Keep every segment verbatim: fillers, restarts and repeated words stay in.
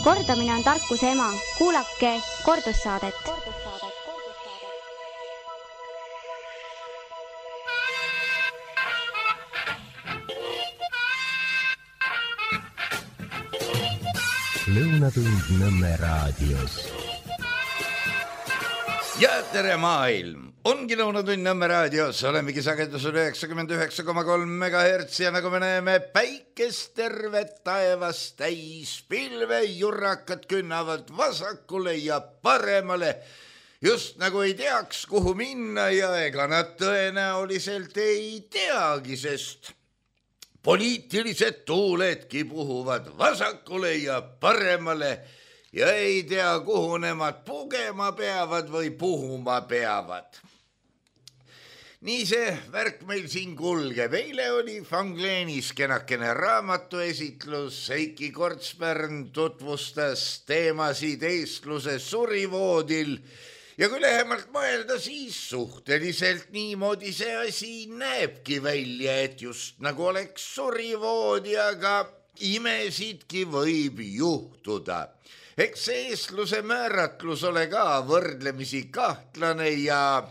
Kordamine on tarkuse ema. Kuulake kordussaadet. Lõunatund Nõmme raadios. Ja tere maailm! Ongi Lõunatund Nõmme raadios. Olemegi sagedusel üheksakümmend üheksa koma kolm megahertsi ja nagu me näeme, päikest tervet taevast täis. Pilve jurrakad künnavad vasakule ja paremale. Just nagu ei teaks, kuhu minna ja ega nad tõenäoliselt ei teagi, sest poliitilised tuuledki puhuvad vasakule ja paremale ja ei tea, kuhu nemad pugema peavad või puhuma peavad. Nii see värk meil siin kulgeb. Eile oli Fangleenis kenakene raamatuesitlus. Heiki Kortspärn tutvustas teemasid eestluse surivoodil. Ja kui lähemalt mõelda, siis suhteliselt niimoodi see asi näebki välja, et just nagu oleks surivoodi, aga imesidki võib juhtuda. Eks see eestluse määratlus ole ka võrdlemisi kahtlane ja,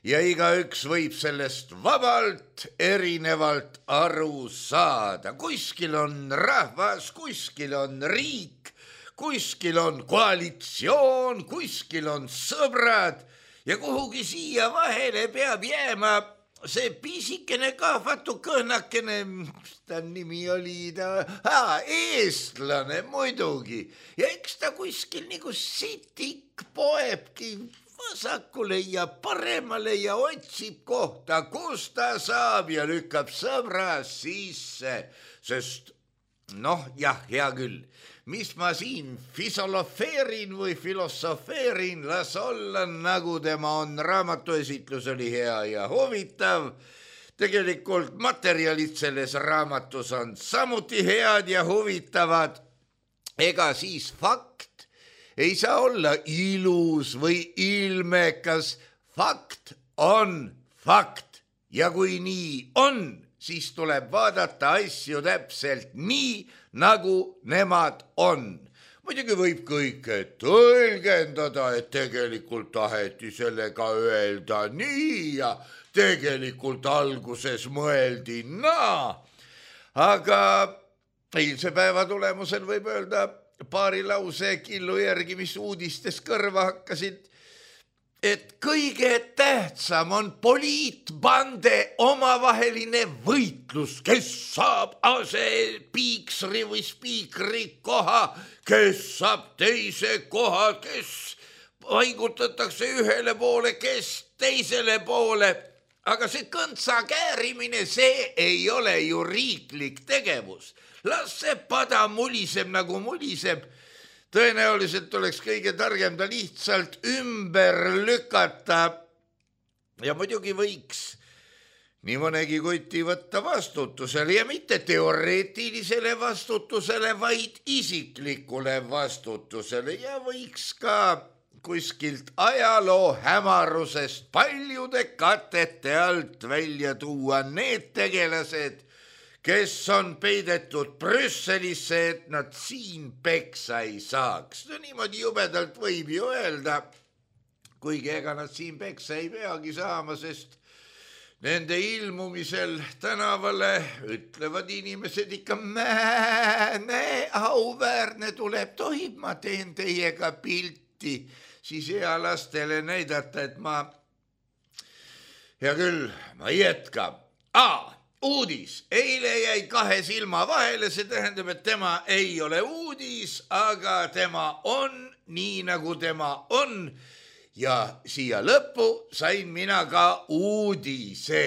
ja igaüks võib sellest vabalt erinevalt aru saada. Kuskil on rahvas, kuskil on riik, kuskil on koalitsioon, kuskil on sõbrad ja kuhugi siia vahele peab jääma see pisikene kahvatu kõhnakene, mis ta nimi oli, ta, aa, eestlane muidugi. Ja eks ta kuskil nagu sitik poebki vasakule ja paremale ja otsib kohta, kus ta saab ja lükkab sõbra sisse. Sest noh, jah, hea küll. Mis ma siin fisolofeerin või filosofeerin, las olla, nagu tema on. Raamatuesitlus oli hea ja huvitav. Tegelikult materjalid selles raamatus on samuti head ja huvitavad. Ega siis fakt ei saa olla ilus või ilmekas. Fakt on fakt ja kui nii on, siis tuleb vaadata asju täpselt nii, nagu nemad on. Muidugi võib kõike tõlgendada, et tegelikult taheti sellega öelda nii ja tegelikult alguses mõeldi naa. Aga eilse päeva tulemusel võib öelda paari lause killu järgi, mis uudistes kõrva hakkasid, et kõige tähtsam on poliitbande omavaheline võitlus, kes saab asespiikri või spiikri koha, kes saab teise koha, kes paigutatakse ühele poole, kes teisele poole. Aga see kõntsa käärimine, see ei ole ju riiklik tegevus. Las see pada muliseb nagu muliseb. Tõenäoliselt oleks kõige targem ta lihtsalt ümber lükata ja muidugi võiks nii mõnegi kuti võtta vastutusele ja mitte teoreetilisele vastutusele, vaid isiklikule vastutusele ja võiks ka kuskilt ajaloo hämarusest paljude katete alt välja tuua need tegelased, kes on peidetud Brüsselisse, et nad siin peksa ei saaks. No niimoodi jubedalt võib ju öelda, kuigi ega nad siin peksa ei peagi saama, sest nende ilmumisel tänavale ütlevad inimesed ikka määne, auväärne tuleb, tohib, ma teen teiega pilti, siis hea lastele näidata, et ma, hea küll, ma ei jätka. Aa! Uudis. Eile jäi kahe silma vahele, see tähendab, et tema ei ole uudis, aga tema on nii, nagu tema on. Ja siia lõppu sain mina ka uudise.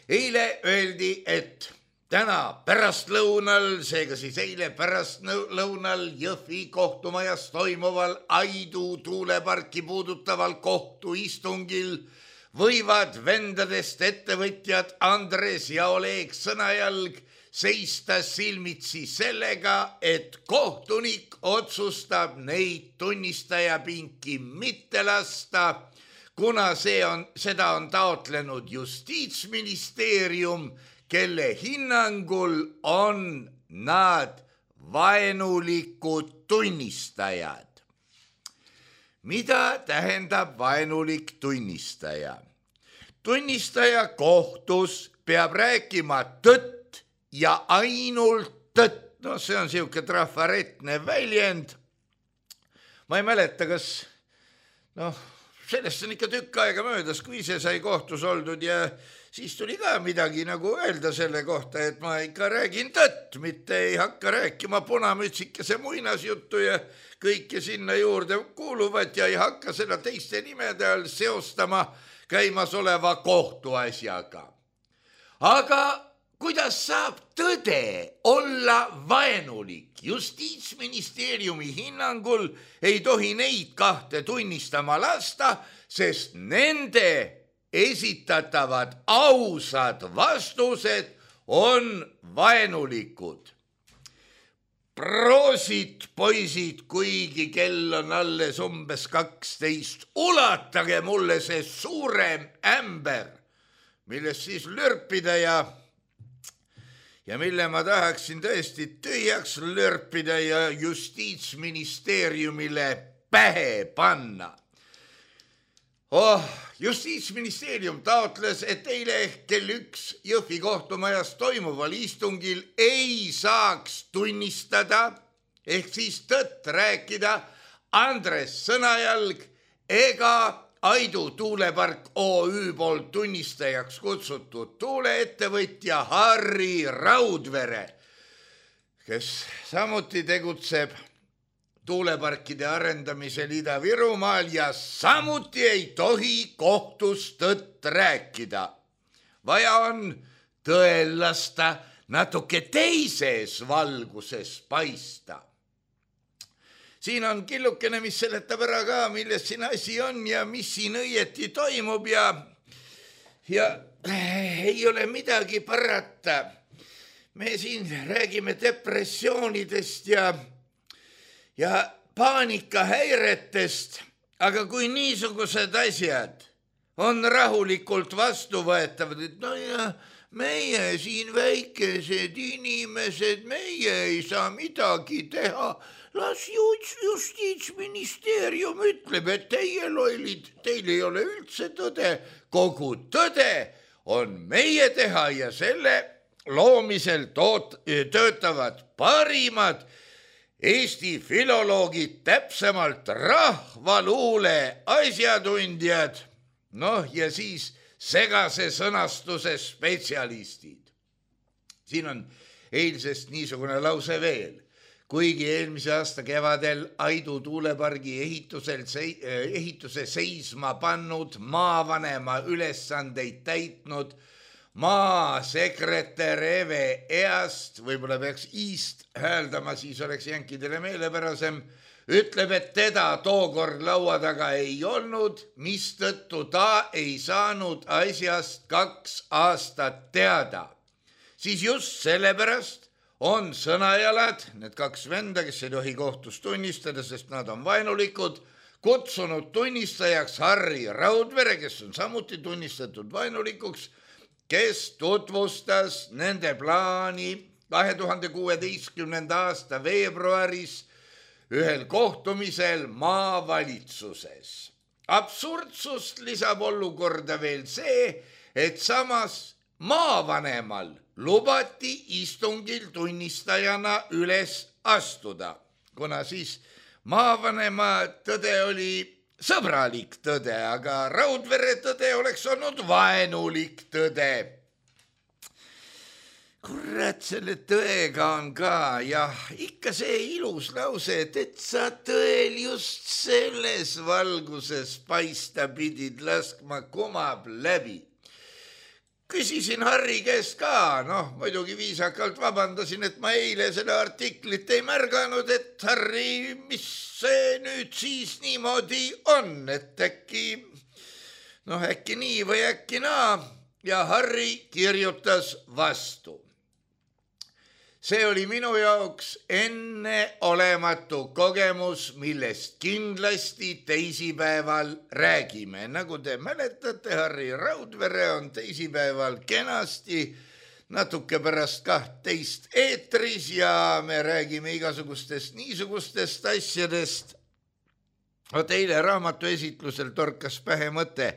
Eile öeldi, et täna pärastlõunal, seega siis eile pärastlõunal Jõhvi kohtumajas toimuval Aidu tuuleparki puudutaval kohtuistungil võivad vendadest ettevõtjad Andres ja Oleg Sõnajalg seista silmitsi sellega, et kohtunik otsustab neid tunnistajapinki mitte lasta, kuna see on, seda on taotlenud Justiitsministeerium, kelle hinnangul on nad vaenulikud tunnistajad. Mida tähendab vaenulik tunnistaja? Tunnistaja kohtus peab rääkima tõtt ja ainult tõtt. No see on siuke trafaretne väljend. Ma ei mäleta, kas noh, sellest on ikka tükk aega möödas, kui ise sai kohtus oldud ja siis tuli ka midagi nagu öelda selle kohta, et ma ikka räägin tõtt, mitte ei hakka rääkima punamütsikese muinasjuttu ja kõike sinna juurde kuuluvat ja ei hakka seda teiste nimede all seostama käimasoleva kohtuasjaga. Aga kuidas saab tõde olla vaenulik? Justiitsministeeriumi hinnangul ei tohi neid kahte tunnistama lasta, sest nende esitatavad ausad vastused on vaenulikud. Proosit, poisid, kuigi kell on alles umbes kaksteist, ulatage mulle see suurem ämber, millest siis lörpida ja ja mille ma tahaksin tõesti tühjaks lörpida ja Justiitsministeeriumile pähe panna. Oh, Justiitsministeerium taotles, et eile ehk kell üks Jõhvi kohtumajas toimuval istungil ei saaks tunnistada ehk siis tõtt rääkida Andres Sõnajalg ega Aidu tuulepark O Ü poolt tunnistajaks kutsutud tuuleettevõtja Harri Raudvere, kes samuti tegutseb tuuleparkide arendamisel Ida-Virumaal ja samuti ei tohi kohtus tõtt rääkida. Vaja on tõel lasta natuke teises valguses paista. Siin on killukene, mis seletab ära ka, milles siin asi on ja mis siin õieti toimub ja, ja ei ole midagi parata. Me siin räägime depressioonidest ja, ja paanikahäiretest, aga kui niisugused asjad on rahulikult vastuvõetavad, et no ja meie siin väikesed inimesed, meie ei saa midagi teha, las Justiitsministeerium ütleb, et teie lollid, teil ei ole üldse tõde. Kogu tõde on meie teha ja selle loomisel toot, töötavad parimad Eesti filoloogid, täpsemalt rahvaluule asjatundjad, noh ja siis segase sõnastuse spetsialistid. Siin on eilsest niisugune lause veel. Kuigi eelmise aasta kevadel Aidu tuulepargi ehitusel, ehituse seisma pannud maavanema ülesandeid täitnud maasekretär Eve East, võib-olla peaks East hääldama, siis oleks jänkidele meelepärasem, ütleb, et teda tookord laua taga ei olnud, mistõttu ta ei saanud asjast kaks aastat teada. Siis just sellepärast on Sõnajalad, need kaks venda, kes ei tohi kohtus tunnistada, sest nad on vaenulikud, kutsunud tunnistajaks Harri Raudvere, kes on samuti tunnistatud vaenulikuks, kes tutvustas nende plaani kahe tuhande kuueteistkümnenda aasta veebruaris ühel kohtumisel maavalitsuses. Absurdsust lisab olukorda veel see, et samas maavanemal lubati istungil tunnistajana üles astuda, kuna siis maavanema tõde oli sõbralik tõde, aga Raudvere tõde oleks olnud vaenulik tõde. Kurat, selle tõega on ka, jah, ikka see ilus lause, et, et sa tõel just selles valguses paista pidid, laskma kumab läbi. Küsisin Harri käest ka, noh, muidugi viisakalt vabandasin, et ma eile seda artiklit ei märganud, et Harri, mis see nüüd siis niimoodi on, et äkki, noh, äkki nii või äkki naa, ja Harri kirjutas vastu. See oli minu jaoks enneolematu kogemus, millest kindlasti teisipäeval räägime. Nagu te mäletate, Harri Raudvere on teisipäeval kenasti natuke pärast kahtteist eetris ja me räägime igasugustest niisugustest asjadest. Vot eile raamatu esitlusel torkas pähe mõte,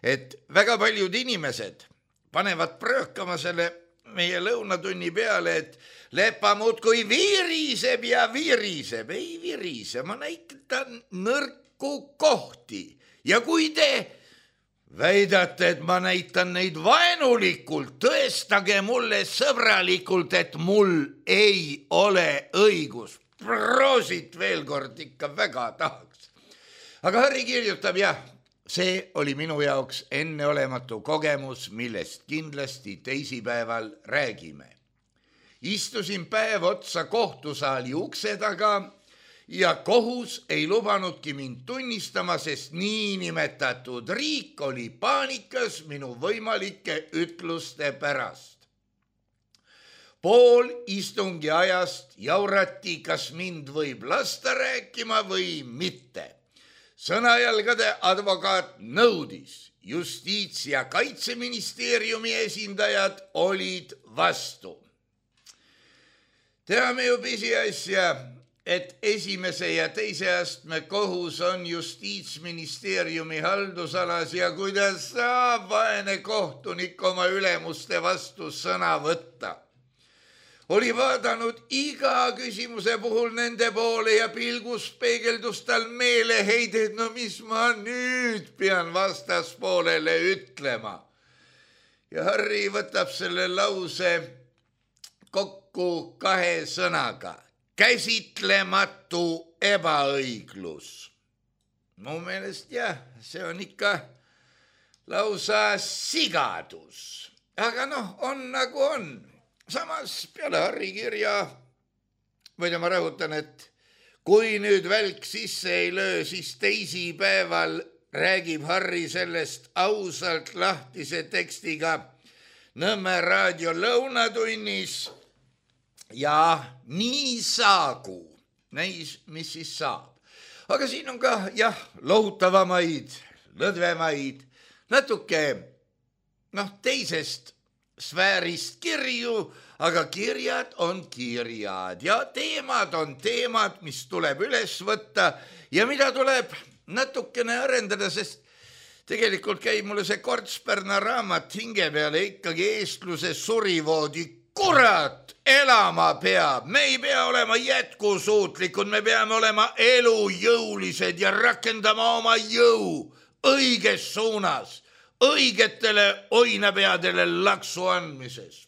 et väga paljud inimesed panevad pröökama selle meie lõunatunni peale, et lepa muudkui viriseb ja viriseb. Ei virise, ma näitan nõrku kohti ja kui te väidate, et ma näitan neid vaenulikult, tõestage mulle sõbralikult, et mul ei ole õigus. Proosit veel kord ikka väga tahaks. Aga Harri kirjutab, jah, see oli minu jaoks enneolematu kogemus, millest kindlasti teisipäeval räägime. Istusin päev otsa kohtusaali ukse taga ja kohus ei lubanudki mind tunnistama, sest niinimetatud riik oli paanikas minu võimalike ütluste pärast. Pool istungi ajast jaurati, kas mind võib lasta rääkima või mitte. Sõnajalgade advokaat nõudis, justiits- ja kaitseministeeriumi esindajad olid vastu. Teame ju pisiasja, et esimese ja teise astme kohus on justiitsministeeriumi haldusalas ja kuidas saab vaene kohtunik oma ülemuste vastu sõna võtta. Oli vaadanud iga küsimuse puhul nende poole ja pilgus peegeldus tal meeleheide, et no mis ma nüüd pean vastaspoolele ütlema. Ja Harri võtab selle lause kokku kahe sõnaga. Käsitlematu ebaõiglus. Mu meelest jah, see on ikka lausa sigadus. Aga noh, on nagu on. Samas peale Harri kirja, võida ma rõhutan, et kui nüüd välk sisse ei löö, siis teisipäeval räägib Harri sellest ausalt lahtise tekstiga Nõmme raadio lõunatunnis ja nii saagu, näis, mis siis saab. Aga siin on ka, jah, lohutavamaid, lõdvemaid, natuke, noh, teisest sfäärist kirju, aga kirjad on kirjad ja teemad on teemad, mis tuleb üles võtta ja mida tuleb natukene arendada, sest tegelikult käib mulle see Kortspärna raamat hinge peale ikkagi eestluse surivoodi. Kurat, elama peab, me ei pea olema jätkusuutlikud, me peame olema elujõulised ja rakendama oma jõu õiges suunas, õigetele oinapeadele laksu andmises.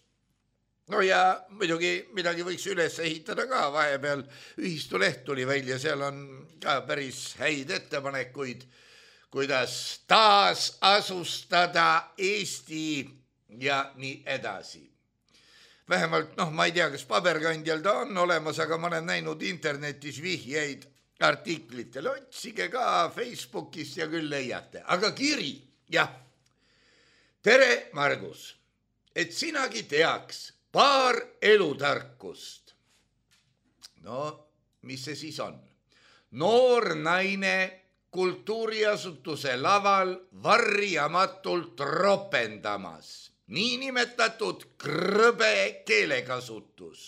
No ja muidugi midagi võiks üles ehitada ka, vahepeal ühistuleht tuli välja, seal on ka päris häid ettepanekuid, kuidas taas asustada Eesti ja nii edasi. Vähemalt, noh, ma ei tea, kas paberkandjal ta on olemas, aga ma olen näinud internetis vihjeid artiklitele. Otsige ka Facebookist ja küll leiate. Aga kiri, jah. Tere, Margus, et sinagi teaks paar elutarkust. No, mis see siis on? Noor naine kultuuriasutuse laval varjamatult ropendamas. Niinimetatud krõbe keelekasutus.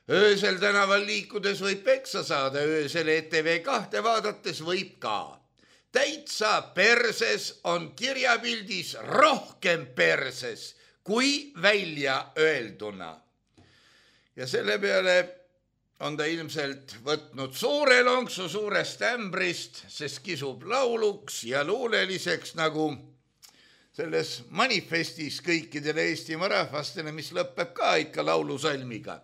Öösel tänaval liikudes võib peksa saada, öösel E T V kahte vaadates võib ka. Täitsa perses on kirjapildis rohkem perses kui välja öelduna. Ja selle peale on ta ilmselt võtnud suure lonksu suurest ämbrist, sest kisub lauluks ja luuleliseks nagu selles manifestis kõikidele Eestimaa rahvastele, mis lõpeb ka ikka laulusalmiga.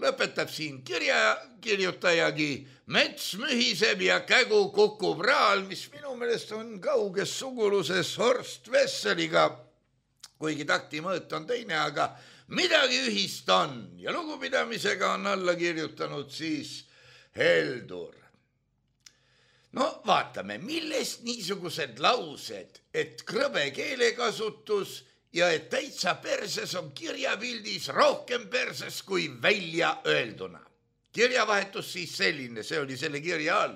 Lõpetab siin kirja kirjutajagi, mets mühiseb ja kägu kukub raal, mis minu meelest on kauges suguluses Horst Wesseliga, kuigi takti mõõt on teine, aga midagi ühist on ja lugupidamisega on alla kirjutanud siis Heldur. No vaatame, millest niisugused laused, et krõbe keelekasutus ja et täitsa perses on kirjapildis rohkem perses kui välja öelduna. Kirjavahetus siis selline, see oli selle kirja all.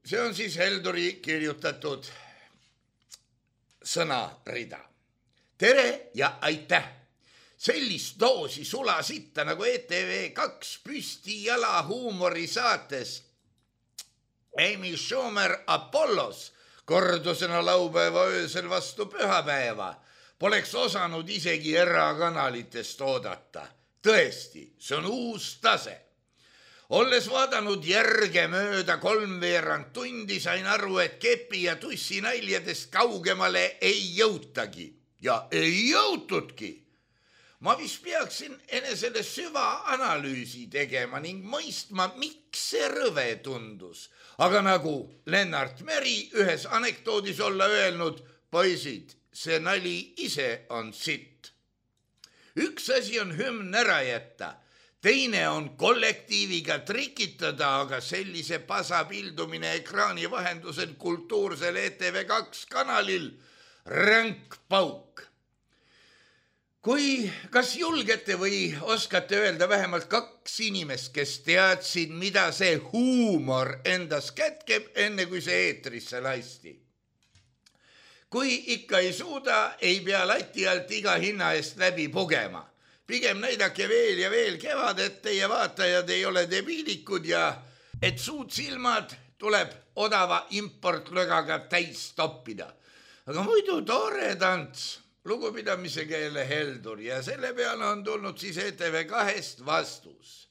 See on siis Helduri kirjutatud sõnarida. tere ja aitäh! Sellist doosi sulasitta nagu E T V kaks püsti jala huumorisaates Amy Schumer Apollos kordusena laupäeva öösel vastu pühapäeva poleks osanud isegi erakanalitest oodata. Tõesti, see on uus tase. Olles vaadanud järge mööda kolmveerand tundi, sain aru, et kepi ja tussi näljadest kaugemale ei jõutagi. Ja ei jõutudki. Ma vist peaksin enesele süvaanalüüsi tegema ning mõistma, miks see rõve tundus. Aga nagu Lennart Meri ühes anekdoodis olla öelnud, poisid, see nali ise on sitt. Üks asi on hümn ära jätta, teine on kollektiiviga trikitada, aga sellise pasa pildumine ekraani vahendusel kultuursel E T V kaks kanalil ränk pauk. Kui kas julgete või oskate öelda vähemalt kaks inimest, kes teadsid, mida see huumor endas kätkeb, enne kui see eetrisse lasti? Kui ikka ei suuda, ei pea lati alt iga hinna eest läbi pugema. Pigem näidake veel ja veel kevad, et teie vaatajad ei ole debiilikud ja et suud silmad tuleb odava importlögaga täis toppida. Aga muidu tore tants. Lugupidamise keele heldur ja selle peale on tulnud siis E T V kahest vastus.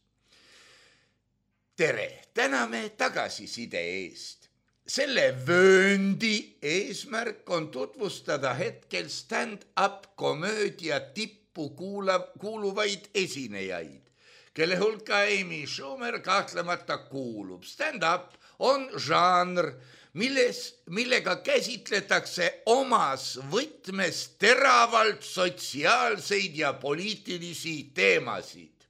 Tere, täname tagasiside eest. Selle vööndi eesmärk on tutvustada hetkel stand-up komöödia tippu kuulav, kuuluvaid esinejaid, kelle hulka Amy Schumer kahtlemata kuulub. Stand-up on žanr, milles, millega käsitletakse omas võtmes teravalt sotsiaalseid ja poliitilisi teemasid.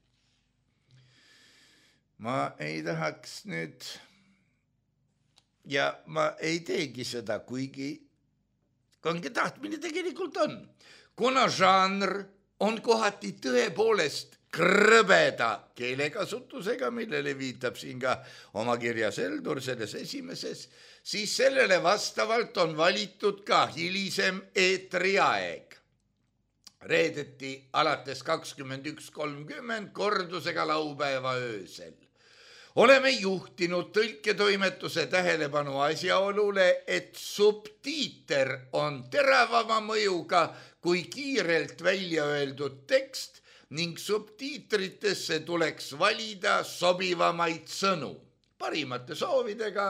Ma ei tahaks nüüd, ja ma ei teegi seda, kuigi kange tahtmine tegelikult on, kuna žanr on kohati tõepoolest krõbeda keelekasutusega, millele viitab siin ka oma kirjas Heldur selles esimeses, siis sellele vastavalt on valitud ka hilisem eetriaeg. Reedeti alates kakskümmend üks kolmkümmend kordusega laupäeva öösel. Oleme juhtinud tõlketoimetuse tähelepanu asjaolule, et subtiiter on teravama mõjuga kui kiirelt välja öeldud tekst ning subtiitritesse tuleks valida sobivamaid sõnu. Parimate soovidega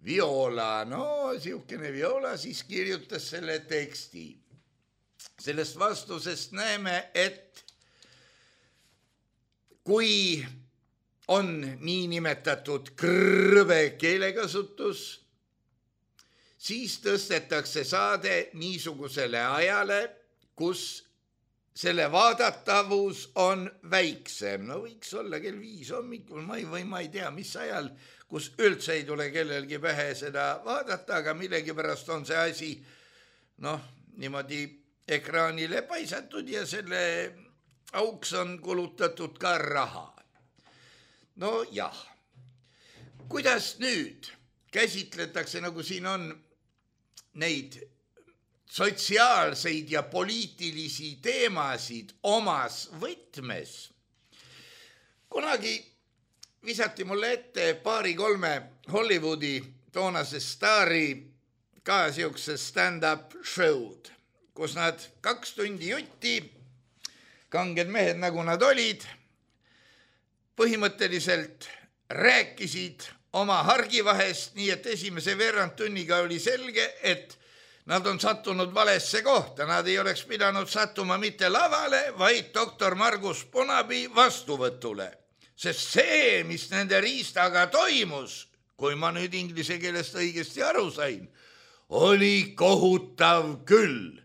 Viola, no siukene Viola siis kirjutas selle teksti. Sellest vastusest näeme, et kui on niinimetatud krõve keelekasutus, siis tõstetakse saade niisugusele ajale, kus selle vaadatavus on väiksem. No võiks olla kell viis hommikul, ma ei, või ma ei tea, mis ajal, kus üldse ei tule kellelgi pähe seda vaadata, aga millegipärast on see asi noh, niimoodi ekraanile paisatud ja selle auks on kulutatud ka raha. No jah, kuidas nüüd käsitletakse, nagu siin on neid sotsiaalseid ja poliitilisi teemasid omas võtmes. Kunagi visati mulle ette paari-kolme Hollywoodi toonase staari ka siukse stand-up show'd, kus nad kaks tundi jutti, kanged mehed nagu nad olid, põhimõtteliselt rääkisid oma hargivahest, nii et esimese veerand tunniga oli selge, et nad on sattunud valesse kohta, nad ei oleks pidanud sattuma mitte lavale, vaid doktor Margus Punabi vastuvõtule. Sest see, mis nende riistaga toimus, kui ma nüüd inglise keelest õigesti aru sain, oli kohutav küll.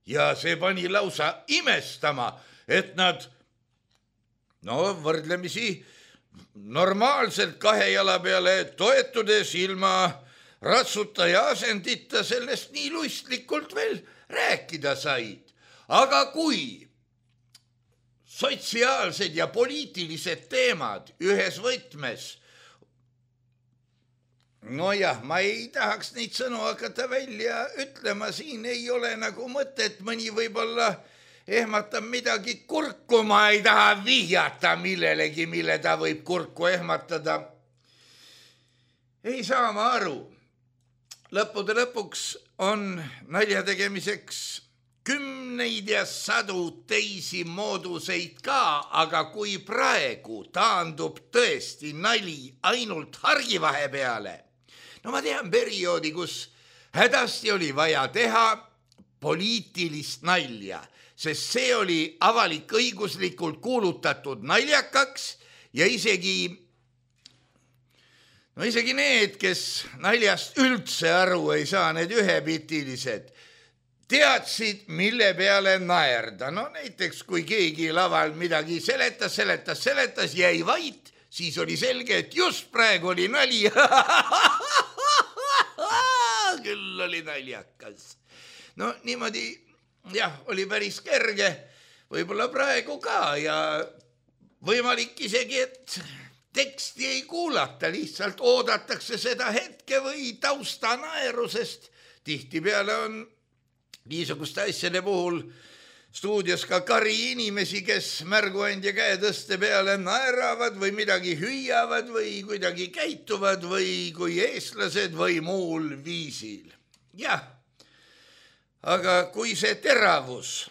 Ja see pani lausa imestama, et nad, no võrdlemisi normaalselt kahe jala peale toetudes ilma ratsuta ja asendita sellest nii luistlikult veel rääkida said. Aga kui sotsiaalsed ja poliitilised teemad ühes võtmes nojah, ma ei tahaks neid sõnu hakata välja ütlema, siin ei ole nagu mõtet, mõni võib-olla ehmatab midagi kurku, ma ei taha vihjata millelegi, mille ta võib kurku ehmatada. Ei saa ma aru. Lõppude lõpuks on nalja tegemiseks kümneid ja sadu teisi mooduseid ka, aga kui praegu taandub tõesti nali ainult hargivahe peale, no ma tean perioodi, kus hädasti oli vaja teha poliitilist nalja, sest see oli avalik-õiguslikult kuulutatud naljakaks ja isegi, no isegi need, kes naljast üldse aru ei saa, need ühepitilised, teadsid, mille peale naerda. No näiteks, kui keegi laval midagi seletas, seletas, seletas, jäi vait, siis oli selge, et just praegu oli nali. Küll oli naljakas. No niimoodi, jah, oli päris kerge, võib-olla praegu ka ja võimalik isegi, et teksti ei kuulata, lihtsalt oodatakse seda hetke või tausta naerusest. Tihtipeale on niisuguste asjade puhul stuudios ka kari inimesi, kes märguandja käe tõste peale naeravad või midagi hüüavad või kuidagi käituvad või kui eestlased või muul viisil. Jah, aga kui see teravus,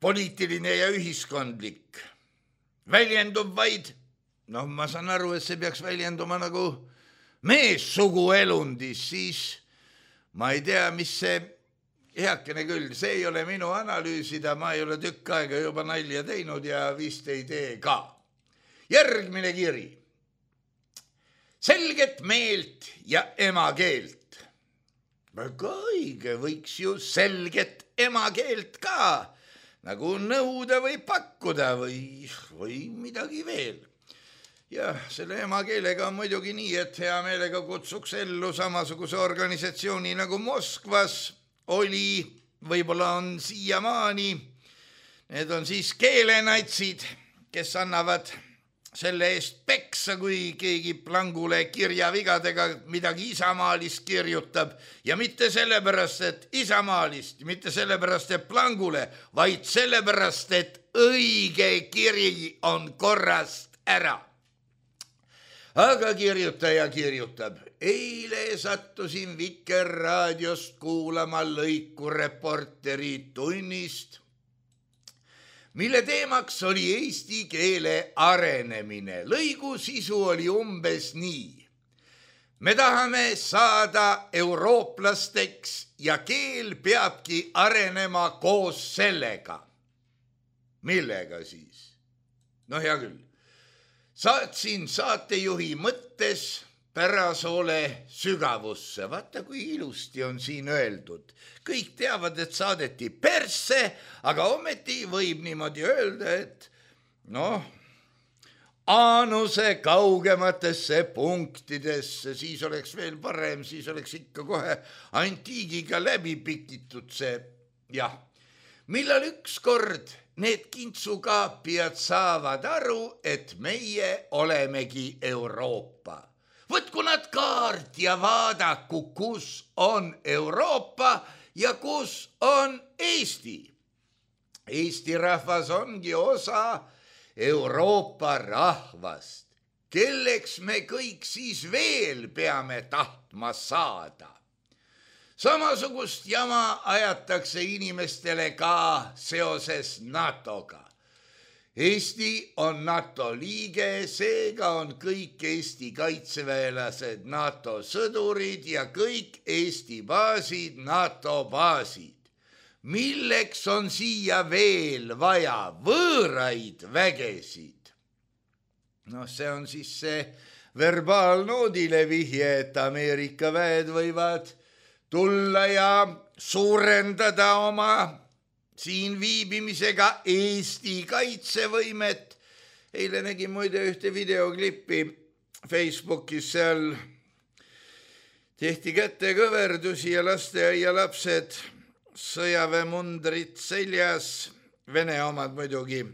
poliitiline ja ühiskondlik, väljendub vaid, noh, ma saan aru, et see peaks väljenduma nagu meessugu elundis, siis ma ei tea, mis see heakene küll, see ei ole minu analüüsida, ma ei ole tükk aega juba nalja teinud ja vist ei tee ka. Järgmine kiri. Selget meelt ja emakeelt. Väga õige, võiks ju selget emakeelt ka, nagu nõuda või pakkuda või, või midagi veel. Jah, selle emakeelega on muidugi nii, et hea meelega kutsuks ellu samasuguse organisatsiooni nagu Moskvas oli, võib-olla on siiamaani. Need on siis keelenatsid, kes annavad selle eest peksa, kui keegi plangule kirjavigadega midagi isamaalist kirjutab ja mitte sellepärast, et isamaalist, mitte sellepärast, et plangule, vaid sellepärast, et õige kiri on korrast ära. Aga kirjutaja kirjutab. Eile sattusin Vikerraadiost kuulama lõiku Reporteri tunnist, mille teemaks oli eesti keele arenemine. Lõigu sisu oli umbes nii. Me tahame saada eurooplasteks ja keel peabki arenema koos sellega. Millega siis? No hea küll. Saatsin saatejuhi mõttes Pärasoole sügavusse. Vaata, kui ilusti on siin öeldud. Kõik teavad, et saadeti persse, aga ometi võib niimoodi öelda, et noh, aanuse kaugematesse punktidesse, siis oleks veel parem, siis oleks ikka kohe antiigiga läbi pikitud see, jah. Millal ükskord need kintsukaapijad saavad aru, et meie olemegi Euroopa. Võtku nad kaart ja vaadaku, kus on Euroopa ja kus on Eesti. Eesti rahvas ongi osa Euroopa rahvast. Kelleks me kõik siis veel peame tahtma saada? Samasugust jama ajatakse inimestele ka seoses NATOga. Eesti on NATO liige, seega on kõik Eesti kaitseväelased NATO sõdurid ja kõik Eesti baasid NATO baasid. Milleks on siia veel vaja võõraid vägesid? No see on siis see verbaalnoodile vihje, et Ameerika väed võivad tulla ja suurendada oma siin viibimisega Eesti kaitsevõimet. Eile nägin muide ühte videoklippi Facebookis, seal tehti kätekõverdusi ja lasteaia lapsed sõjaväemundrid seljas, Vene omad muidugi,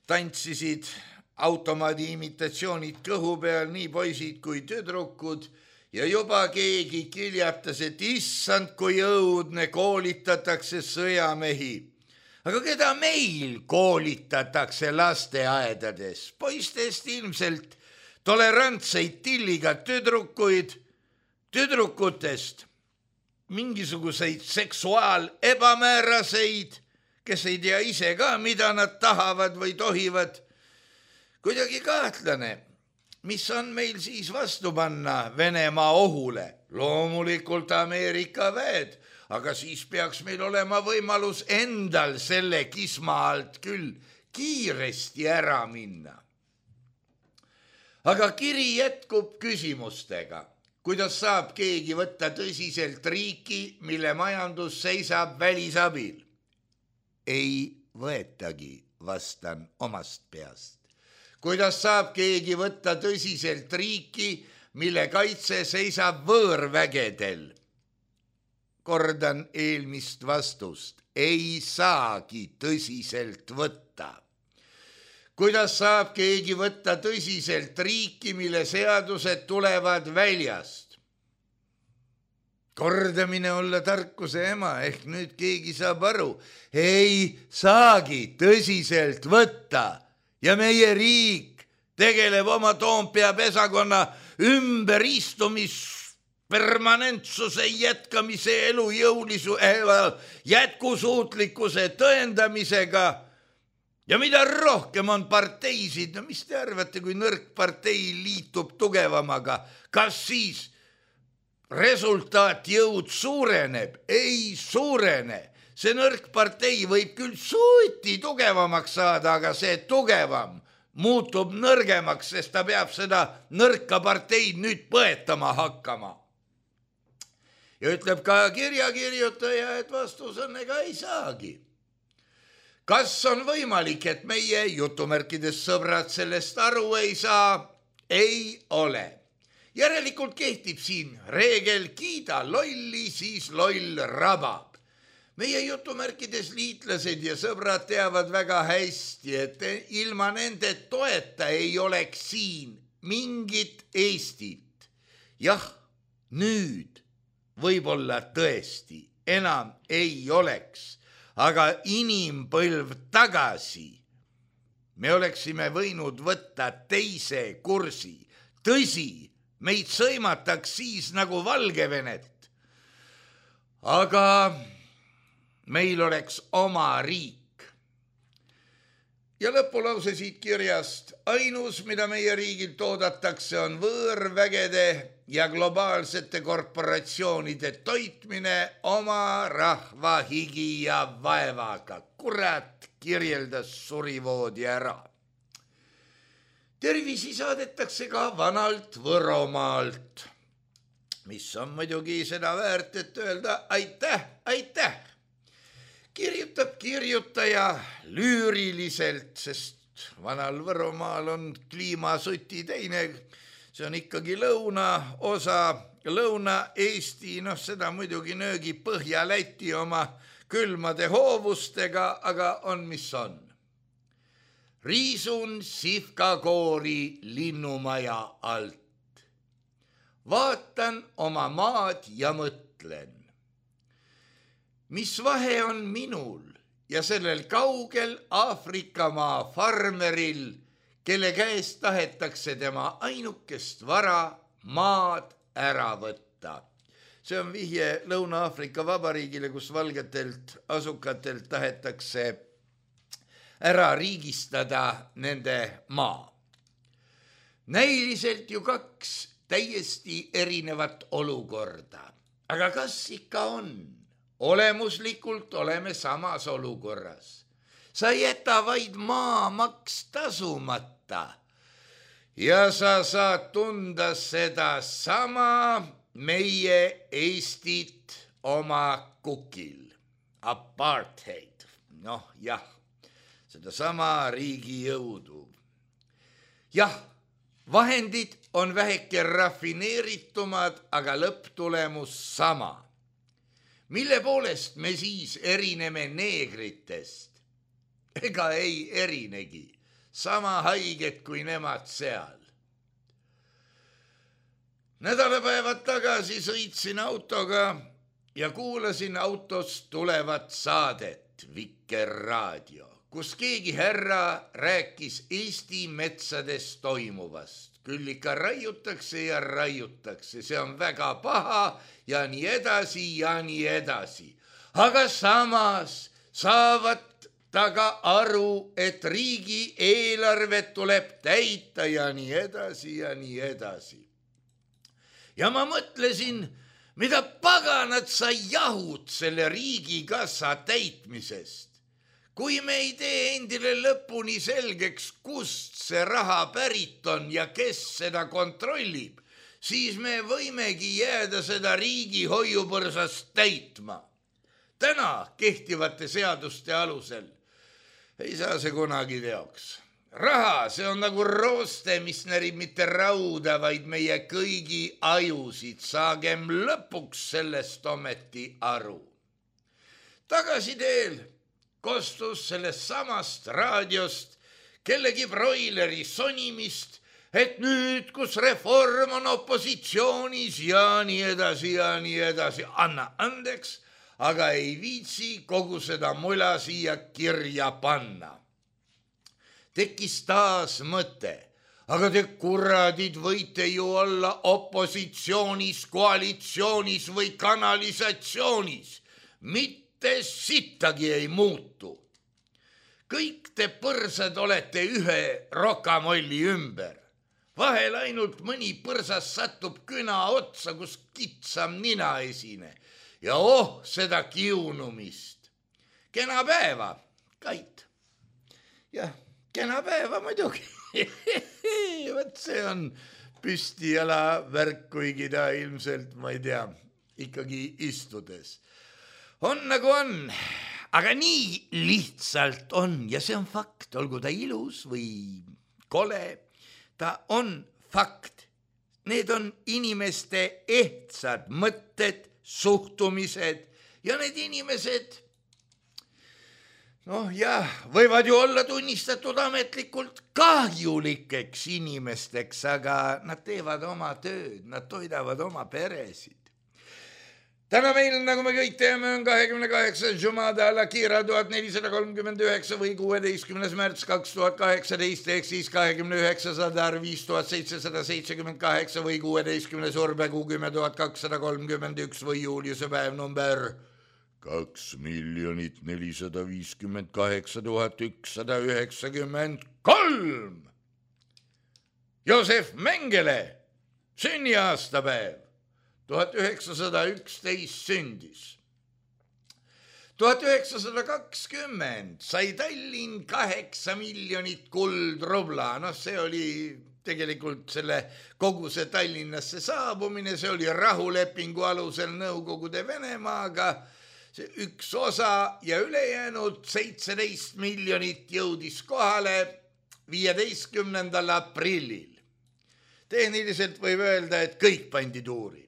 tantsisid automaadi imitatsioonid kõhu peal, nii poisid kui tüdrukud ja juba keegi kiljatas, et issand, kui õudne, koolitatakse sõjamehi. Aga keda meil koolitatakse lasteaedades? Poistest ilmselt tolerantseid tilliga tüdrukuid, tüdrukutest mingisuguseid seksuaal ebamääraseid, kes ei tea ise ka, mida nad tahavad või tohivad. Kuidagi kahtlane, mis on meil siis vastu panna Venemaa ohule? Loomulikult Ameerika väed, aga siis peaks meil olema võimalus endal selle kisma alt küll kiiresti ära minna. Aga kiri jätkub küsimustega. Kuidas saab keegi võtta tõsiselt riiki, mille majandus seisab välisabil? Ei võetagi, vastan omast peast. Kuidas saab keegi võtta tõsiselt riiki, mille kaitse seisab võõrvägedel? Kordan eelmist vastust. Ei saagi tõsiselt võtta. Kuidas saab keegi võtta tõsiselt riiki, mille seadused tulevad väljast? Kordamine olla tarkuse ema, ehk nüüd keegi saab aru. Ei saagi tõsiselt võtta. Ja meie riik tegeleb oma Toompea pesakonna ümberistumis permanentsuse jätkamise elujõulisu jätkusuutlikkuse tõendamisega. Ja mida rohkem on parteisid, no mis te arvate, kui nõrk partei liitub tugevamaga, kas siis resultaat jõud suureneb? Ei suurene. See nõrk partei võib küll suuti tugevamaks saada, aga see tugevam muutub nõrgemaks, sest ta peab seda nõrka parteid nüüd põetama hakkama. Ja ütleb ka kirjakirjutaja, et vastus on ega ei saagi. Kas on võimalik, et meie jutumärkides sõbrad sellest aru ei saa? Ei ole. Järelikult kehtib siin reegel kiida lolli, siis loll rabab. Meie jutumärkides liitlased ja sõbrad teavad väga hästi, et ilma nende toeta ei oleks siin mingit Eestit. Jah, nüüd võib-olla tõesti enam ei oleks, aga inimpõlv tagasi me oleksime võinud võtta teise kursi. Tõsi, meid sõimataks siis nagu Valgevenet, aga meil oleks oma riik. Ja lõpulause siit kirjast. Ainus, mida meie riigilt oodatakse, on võõrvägede ja globaalsete korporatsioonide toitmine oma rahva higi ja vaevaga. Kurat, kirjeldas surivoodi ära. Tervisi saadetakse ka vanalt Võromaalt, mis on muidugi seda väärt, et öelda aitäh, aitäh. Kirjutab kirjutaja lüüriliselt, sest vanal Võromaal on kliimasuti teine, see on ikkagi lõuna osa, Lõuna-Eesti, noh seda muidugi nöögi Põhja-Läti oma külmade hoovustega, aga on mis on. Riisun sihkakoori linnumaja alt. Vaatan oma maad ja mõtlen. Mis vahe on minul ja sellel kaugel Aafrikamaa farmeril, kelle käest tahetakse tema ainukest vara maad ära võtta? See on vihje Lõuna-Aafrika Vabariigile, kus valgetelt asukatelt tahetakse ära riigistada nende maa. Näiliselt ju kaks täiesti erinevat olukorda. Aga kas ikka on? Olemuslikult oleme samas olukorras. Sa jäta vaid maamaks tasumata ja sa saad tunda seda sama meie Eestit oma kukil. Apartheid. Noh, jah, seda sama riigi jõudu. Jah, vahendid on väheke rafineeritumad, aga lõpptulemus sama. Mille poolest me siis erineme neegritest? Ega ei erinegi. sama haiged kui nemad seal. Nädalapäevad tagasi sõitsin autoga ja kuulasin autost tulevat saadet Vikerraadio, kus keegi härra rääkis Eesti metsades toimuvast. Küll ikka raiutakse ja raiutakse, see on väga paha ja nii edasi ja nii edasi. Aga samas saavad taga aru, et riigi eelarvet tuleb täita ja nii edasi ja nii edasi. Ja ma mõtlesin, mida paganat sa jahud selle riigikassa täitmisest. Kui me ei tee endile lõpuni selgeks, kust see raha pärit on ja kes seda kontrollib, siis me võimegi jääda seda riigi hoiupõrsast täitma. Täna kehtivate seaduste alusel ei saa see kunagi teoks. Raha, see on nagu rooste, mis närib mitte rauda, vaid meie kõigi ajusid. Saagem lõpuks sellest ometi aru. Tagasiteel kostus sellest samast raadiost kellegi broileri sonimist, et nüüd, kus reform on opositsioonis ja nii edasi ja nii edasi, anna andeks, aga ei viitsi kogu seda mula siia kirja panna. Tekkis taas mõte, aga te kuradid võite ju olla opositsioonis, koalitsioonis või kanalisatsioonis. Mitte sittagi ei muutu. Kõik te põrsad olete ühe rokamolli ümber. Vahel ainult mõni põrsas satub küna otsa, kus kitsam nina esine. Ja oh, seda kiunumist. Kena päeva, Kait. Jah. Kena päeva muidugi. Võt see on püsti jala värk, kuigi ta ilmselt, ma ei tea, ikkagi istudes. On nagu on, aga nii lihtsalt on ja see on fakt, olgu ta ilus või kole, ta on fakt. Need on inimeste ehtsad mõtted, suhtumised ja need inimesed noh jah, võivad ju olla tunnistatud ametlikult kahjulikeks inimesteks, aga nad teevad oma tööd, nad toidavad oma peresid. Täna meil, nagu me kõik teeme, on kahekümne kaheksas Jumada al-Akhira tuhat nelisada kolmkümmend üheksa või kuueteistkümnes märts kaks tuhat kaheksateist ehk siis kahekümne üheksas Adar viis tuhat seitsesada seitsekümmend kaheksa või kuueteistkümnes Urbekuu kümme tuhat kakssada kolmkümmend üks või Juliuse päev number kaks miljonit nelisada viiskümmend kaheksa tuhat ükssada üheksakümmend kolm. Joosef Mengele, sünniaastapäev, tuhat üheksasada üksteist sündis. tuhat üheksasada kakskümmend sai Tallinn kaheksa miljonit kuldrubla, noh see oli tegelikult selle kogu see Tallinnasse saabumine, see oli rahulepingu alusel Nõukogude Venemaaga, see üks osa ja ülejäänud seitseteist miljonit jõudis kohale viieteistkümnendal aprillil. Tehniliselt võib öelda, et kõik pandi tuuri.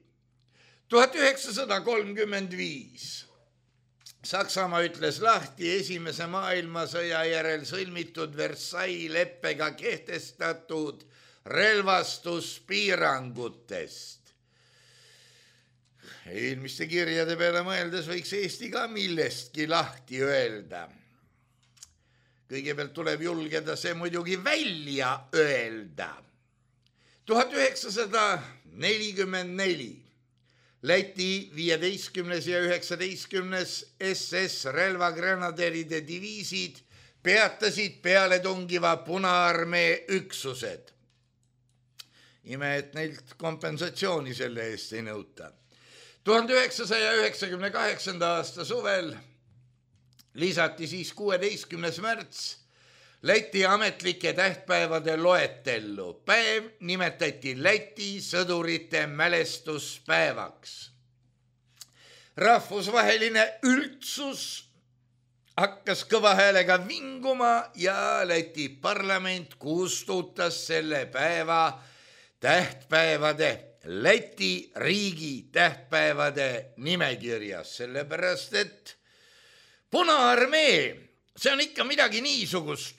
tuhat üheksasada kolmkümmend viis Saksamaa ütles lahti esimese maailmasõja järel sõlmitud Versailles leppega kehtestatud relvastuspiirangutest. Eelmiste kirjade peale mõeldes võiks Eesti ka millestki lahti öelda. Kõigepealt tuleb julgeda see muidugi välja öelda. tuhat üheksasada nelikümmend neli Läti viieteistkümnes ja üheksateistkümnes S S relvagranaderide diviisid peatasid pealetungiva Punaarmee üksused. Ime, et neilt kompensatsiooni selle eest ei nõuta. tuhande üheksasaja üheksakümne kaheksanda aasta suvel lisati siis kuueteistkümnes märts Läti ametlike tähtpäevade loetellu. Päev nimetati Läti sõdurite mälestuspäevaks. Rahvusvaheline üldsus hakkas kõva häälega vinguma ja Läti parlament kustutas selle päeva tähtpäevade Läti riigi tähtpäevade nimekirjas, sellepärast et Punaarmee, see on ikka midagi niisugust,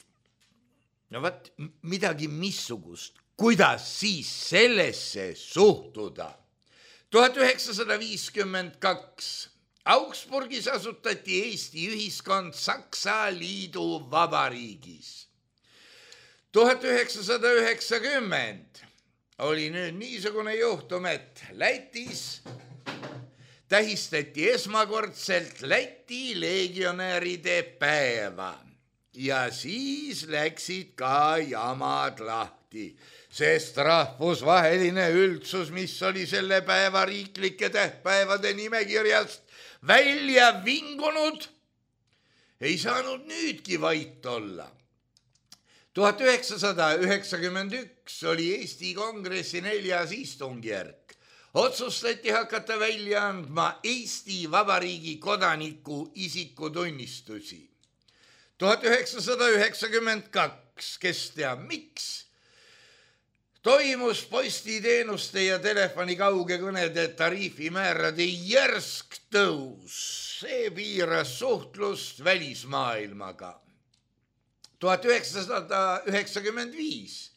no vaat midagi missugust, kuidas siis sellesse suhtuda. tuhat üheksasada viiskümmend kaks Augsburgis asutati Eesti ühiskond Saksa Liidu Vabariigis. tuhat üheksasada üheksakümmend oli nüüd niisugune juhtum, et Lätis tähistati esmakordselt Läti legionäride päeva ja siis läksid ka jamad lahti, sest rahvusvaheline üldsus, mis oli selle päeva riiklike tähtpäevade nimekirjast välja vingunud, ei saanud nüüdki vait olla. tuhat üheksasada üheksakümmend üks oli Eesti Kongressi neljas istungjärk. Otsustati hakata välja andma Eesti Vabariigi kodaniku isikutunnistusi. tuhat üheksasada üheksakümmend kaks, kes teab miks, toimus postiteenuste ja telefoni kaugekõnede tariifimäärade järsk tõus. See piiras suhtlust välismaailmaga. tuhat üheksasada üheksakümmend viis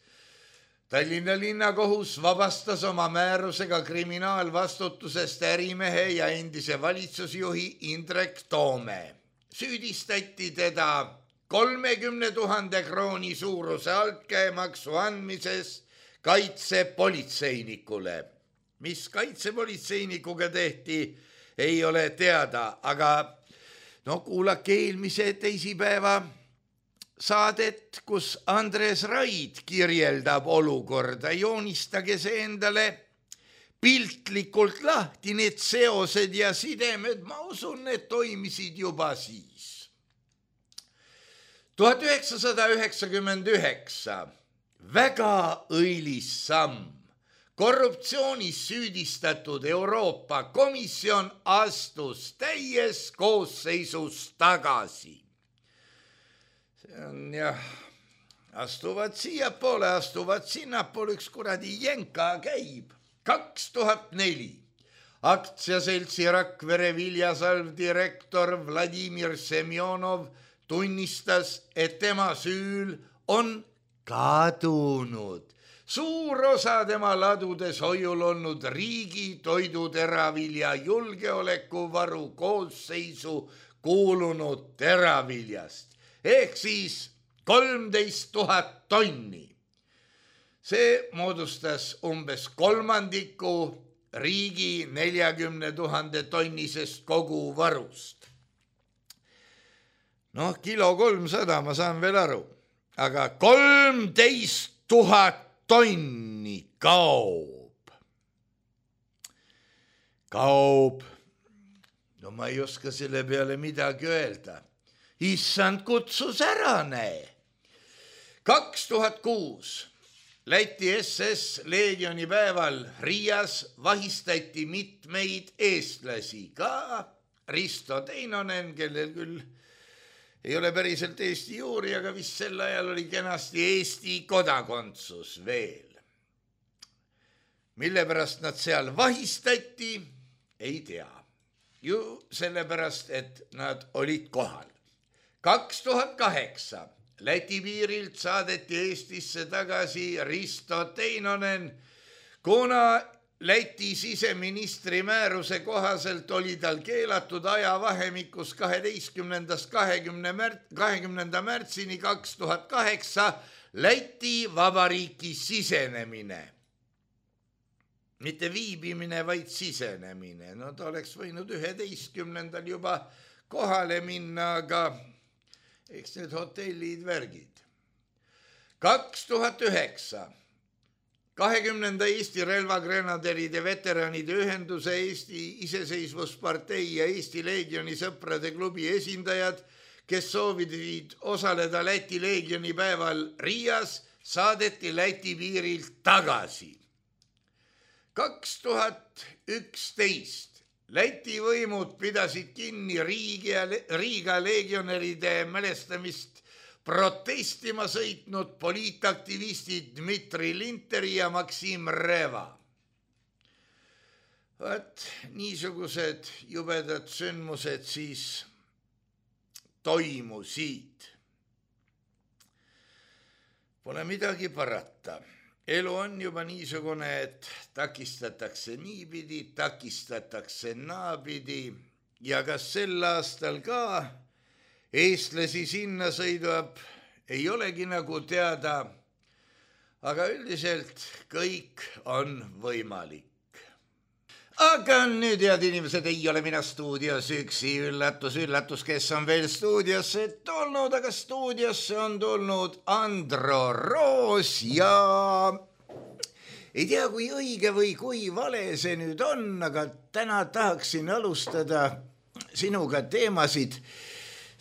Tallinna linnakohus vabastas oma määrusega kriminaalvastutusest ärimehe ja endise valitsusjuhi Indrek Toome. Süüdistati teda kolmekümne tuhande krooni suuruse altkäemaksu andmises kaitsepolitseinikule. Mis kaitsepolitseinikuga tehti, ei ole teada, aga no kuulake eelmise teisipäeva saadet, kus Andres Raid kirjeldab olukorda. Joonistage see endale piltlikult lahti, need seosed ja sidemed, ma usun, need toimisid juba siis. tuhat üheksasada üheksakümmend üheksa väga õilis samm. Korruptsioonis süüdistatud Euroopa Komisjon astus täies koosseisus tagasi. See on jah, astuvad siiapoole, astuvad sinnapoole, üks kuradi jenka käib. kaks tuhat neli aktsiaseltsi Rakvere Viljasalv direktor Vladimir Semjonov tunnistas, et tema süül on kadunud suur osa tema ladudes hoiul olnud riigi toiduteravilja julgeolekuvaru koosseisu kuulunud teraviljast ehk siis kolmteist tuhat tonni. See moodustas umbes kolmandiku riigi neljakümne tuhande tonnisest koguvarust. Noh, kilo kolmsada, ma saan veel aru, aga kolmteist tuhat tonni kaob. Kaob. No ma ei oska selle peale midagi öelda. Issand kutsus ära, näe. kaks tuhat kuus Läti S S Leegioni päeval Riias vahistati mitmeid eestlasi, ka Risto Teinonen, kellel küll ei ole päriselt Eesti juuri, aga vist sel ajal oli kenasti Eesti kodakondsus veel. Mille pärast nad seal vahistati, ei tea. Ju sellepärast, et nad olid kohal. kaks tuhat kaheksa Läti piirilt saadeti Eestisse tagasi Risto Teinonen, kuna Läti siseministri määruse kohaselt oli tal keelatud ajavahemikus kaheteistkümnendast kahekümnenda märtsini kaks tuhat kaheksa Läti Vabariiki sisenemine. Mitte viibimine, vaid sisenemine. No ta oleks võinud üheteistkümnendal juba kohale minna, aga eks need hotellid värgid. kaks tuhat üheksa kahekümnenda Eesti relvagrenaderide veteranide ühenduse, Eesti Iseseisvuspartei ja Eesti Leegioni sõprade klubi esindajad, kes soovisid osaleda Läti Leegioni päeval Riias, saadeti Läti piirilt tagasi. kaks tuhat üksteist Läti võimud pidasid kinni Riiga, Riiga legionäride mälestamist protestima sõitnud poliitaktivistid Dmitri Linteri ja Maksim Reva. Vaat niisugused jubedad sündmused siis toimusid. Pole midagi parata. Elu on juba niisugune, et takistatakse niipidi, takistatakse naapidi ja kas sel aastal ka eestlasi sinna sõidab, ei olegi nagu teada, aga üldiselt kõik on võimalik. Aga nüüd, head inimesed, ei ole mina stuudios üksi, üllatus, üllatus, kes on veel stuudiosse tulnud, aga stuudiosse on tulnud Andro Roos ja ei tea, kui õige või kui vale see nüüd on, aga täna tahaksin alustada sinuga teemasid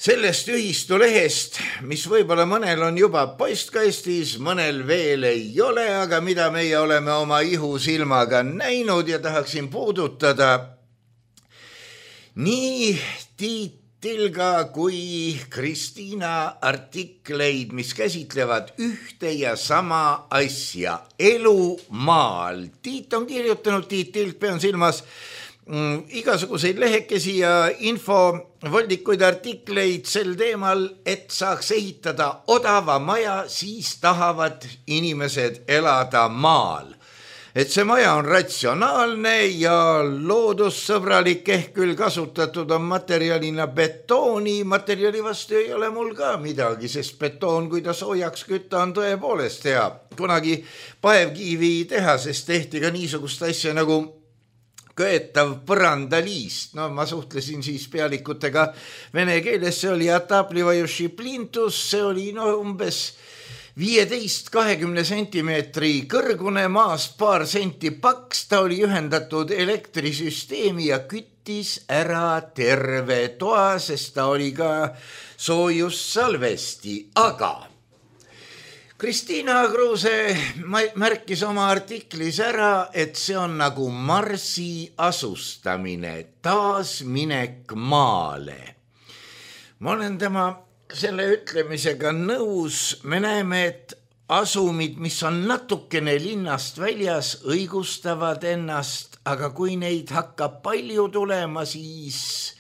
sellest ühistulehest, mis võib-olla mõnel on juba postkastis, mõnel veel ei ole, aga mida meie oleme oma ihusilmaga näinud ja tahaksin puudutada nii Tiit Tilga kui Kristiina artikleid, mis käsitlevad ühte ja sama asja, elu maal. Tiit on kirjutanud, Tiit Tilk, pean silmas, Mm, igasuguseid lehekesi ja infovoldikuid artikleid sel teemal, et saaks ehitada odava maja, siis tahavad inimesed elada maal. Et see maja on ratsionaalne ja loodussõbralik, ehk küll kasutatud on materjalina betooni, materjali vastu ei ole mul ka midagi, sest betoon, kui ta soojaks kütta, on tõepoolest hea. Kunagi Paevkivi tehasest tehti ka niisugust asja nagu köetav põrandaliist. No ma suhtlesin siis pealikutega vene keeles, see oli Ataplivajuši plintus, see oli no umbes viieteist kahekümne sentimeetri kõrgune, maast paar senti paks, ta oli ühendatud elektrisüsteemi ja küttis ära terve toa, sest ta oli ka soojussalvesti, aga Kristiina Kruuse märkis oma artiklis ära, et see on nagu Marsi asustamine, taasminek maale. Ma olen tema selle ütlemisega nõus, me näeme, et asumid, mis on natukene linnast väljas, õigustavad ennast, aga kui neid hakkab palju tulema, siis...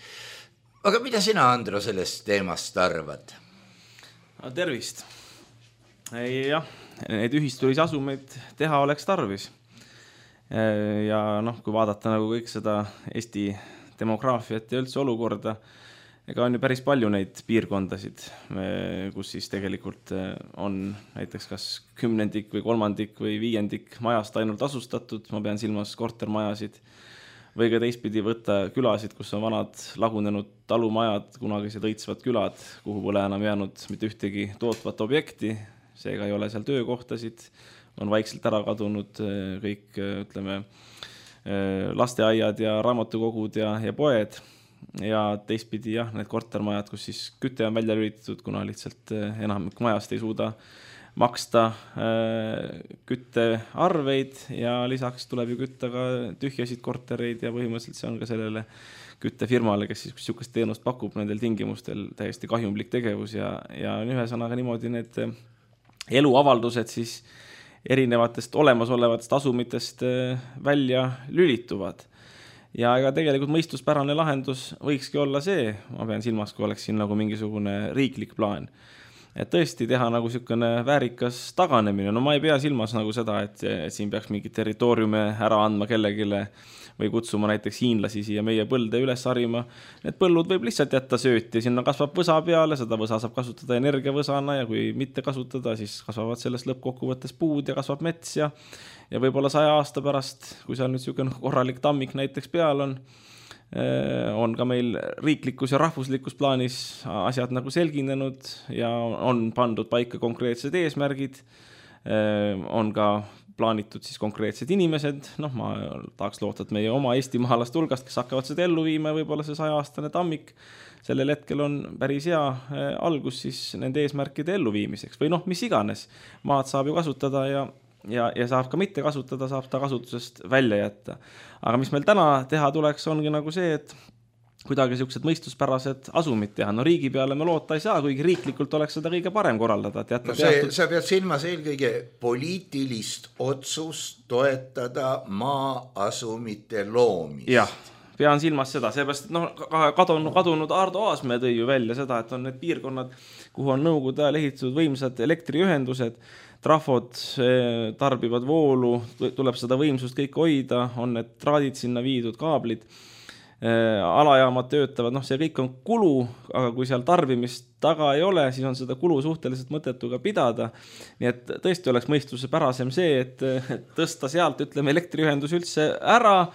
Aga mida sina, Andro, sellest teemast arvad? No, tervist! Jah, neid ühistulisi asumeid teha oleks tarvis. Ja noh, kui vaadata nagu kõik seda Eesti demograafiat ja üldse olukorda, ega on ju päris palju neid piirkondasid, kus siis tegelikult on näiteks kas kümnendik või kolmandik või viiendik majast ainult asustatud, ma pean silmas kortermajasid, või ka teistpidi võtta külasid, kus on vanad lagunenud talumajad, kunagised õitsvad külad, kuhu pole enam jäänud mitte ühtegi tootvat objekti, seega ei ole seal töökohtasid, on vaikselt ära kadunud kõik, ütleme, lasteaiad ja raamatukogud ja, ja poed ja teistpidi jah, need kortermajad, kus siis küte on välja lülitatud, kuna lihtsalt enamik majast ei suuda maksta küttearveid ja lisaks tuleb ju kütta ka tühjasid kortereid ja põhimõtteliselt see on ka sellele küttefirmale, kes siis niisugust teenust pakub nendel tingimustel täiesti kahjumlik tegevus ja, ja ühesõnaga niimoodi need eluavaldused siis erinevatest olemasolevatest asumitest välja lülituvad. Ja ega tegelikult mõistuspärane lahendus võikski olla see, ma pean silmas, kui oleks siin nagu mingisugune riiklik plaan. Et tõesti teha nagu niisugune väärikas taganemine. No ma ei pea silmas nagu seda, et, et siin peaks mingi territooriume ära andma kellegile või kutsuma näiteks hiinlasi siia meie põlde üles harima. Need põllud võib lihtsalt jätta sööti, sinna kasvab võsa peale, seda võsa saab kasutada energiavõsana ja kui mitte kasutada, siis kasvavad sellest lõppkokkuvõttes puud ja kasvab mets ja, ja võib-olla saja aasta pärast, kui seal nüüd niisugune korralik tammik näiteks peal on, on ka meil riiklikus ja rahvuslikus plaanis asjad nagu selginenud ja on pandud paika konkreetsed eesmärgid, on ka plaanitud siis konkreetsed inimesed, noh ma tahaks loota, et meie oma eestimaalast hulgast, kes hakkavad seda ellu viima ja võib-olla see saja-aastane tammik sellel hetkel on päris hea algus siis nende eesmärkide elluviimiseks või noh, mis iganes, maad saab ju kasutada ja, ja, ja saab ka mitte kasutada, saab ta kasutusest välja jätta. Aga mis meil täna teha tuleks, ongi nagu see, et kuidagi sellised mõistuspärased asumid teha. No riigi peale me loota ei saa, kuigi riiklikult oleks seda kõige parem korraldada. No see, teatud... Sa pead silmas eelkõige poliitilist otsust toetada maa-asumite loomist. Jah, pean silmas seda, seepärast, et noh, kadunud, kadunud Ardo Aasmäe tõi ju välja seda, et on need piirkonnad, kuhu on nõukogude ajal ehitatud võimsad elektriühendused, trafod tarbivad voolu, tuleb seda võimsust kõik hoida, on need traadid sinna viidud, kaablid, alajaamad töötavad, noh see kõik on kulu, aga kui seal tarbimist taga ei ole, siis on seda kulu suhteliselt mõttetu ka pidada. Nii et tõesti oleks mõistuse pärasem see, et tõsta sealt, ütleme, elektriühendus üldse ära,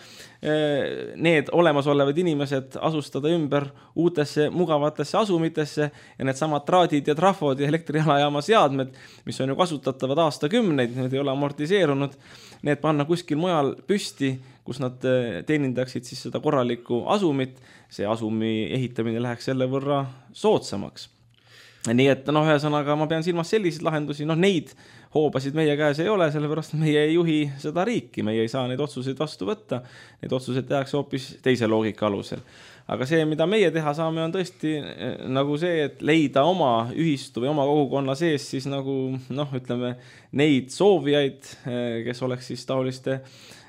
need olemasolevad inimesed asustada ümber uutesse mugavatesse asumitesse ja need samad traadid ja trafod ja elektrialajaama seadmed, mis on ju kasutatavad aastakümneid, need ei ole amortiseerunud, need panna kuskil mujal püsti, kus nad teenindaksid siis seda korralikku asumit, see asumi ehitamine läheks selle võrra soodsamaks. Nii et noh, ühesõnaga ma pean silmas selliseid lahendusi, noh neid hoobasid meie käes ei ole, sellepärast meie ei juhi seda riiki, meie ei saa neid otsuseid vastu võtta, neid otsuseid tehakse hoopis teise loogika alusel. Aga see, mida meie teha saame, on tõesti nagu see, et leida oma ühistu või oma kogukonna sees siis nagu noh, ütleme neid soovijaid, kes oleks siis taoliste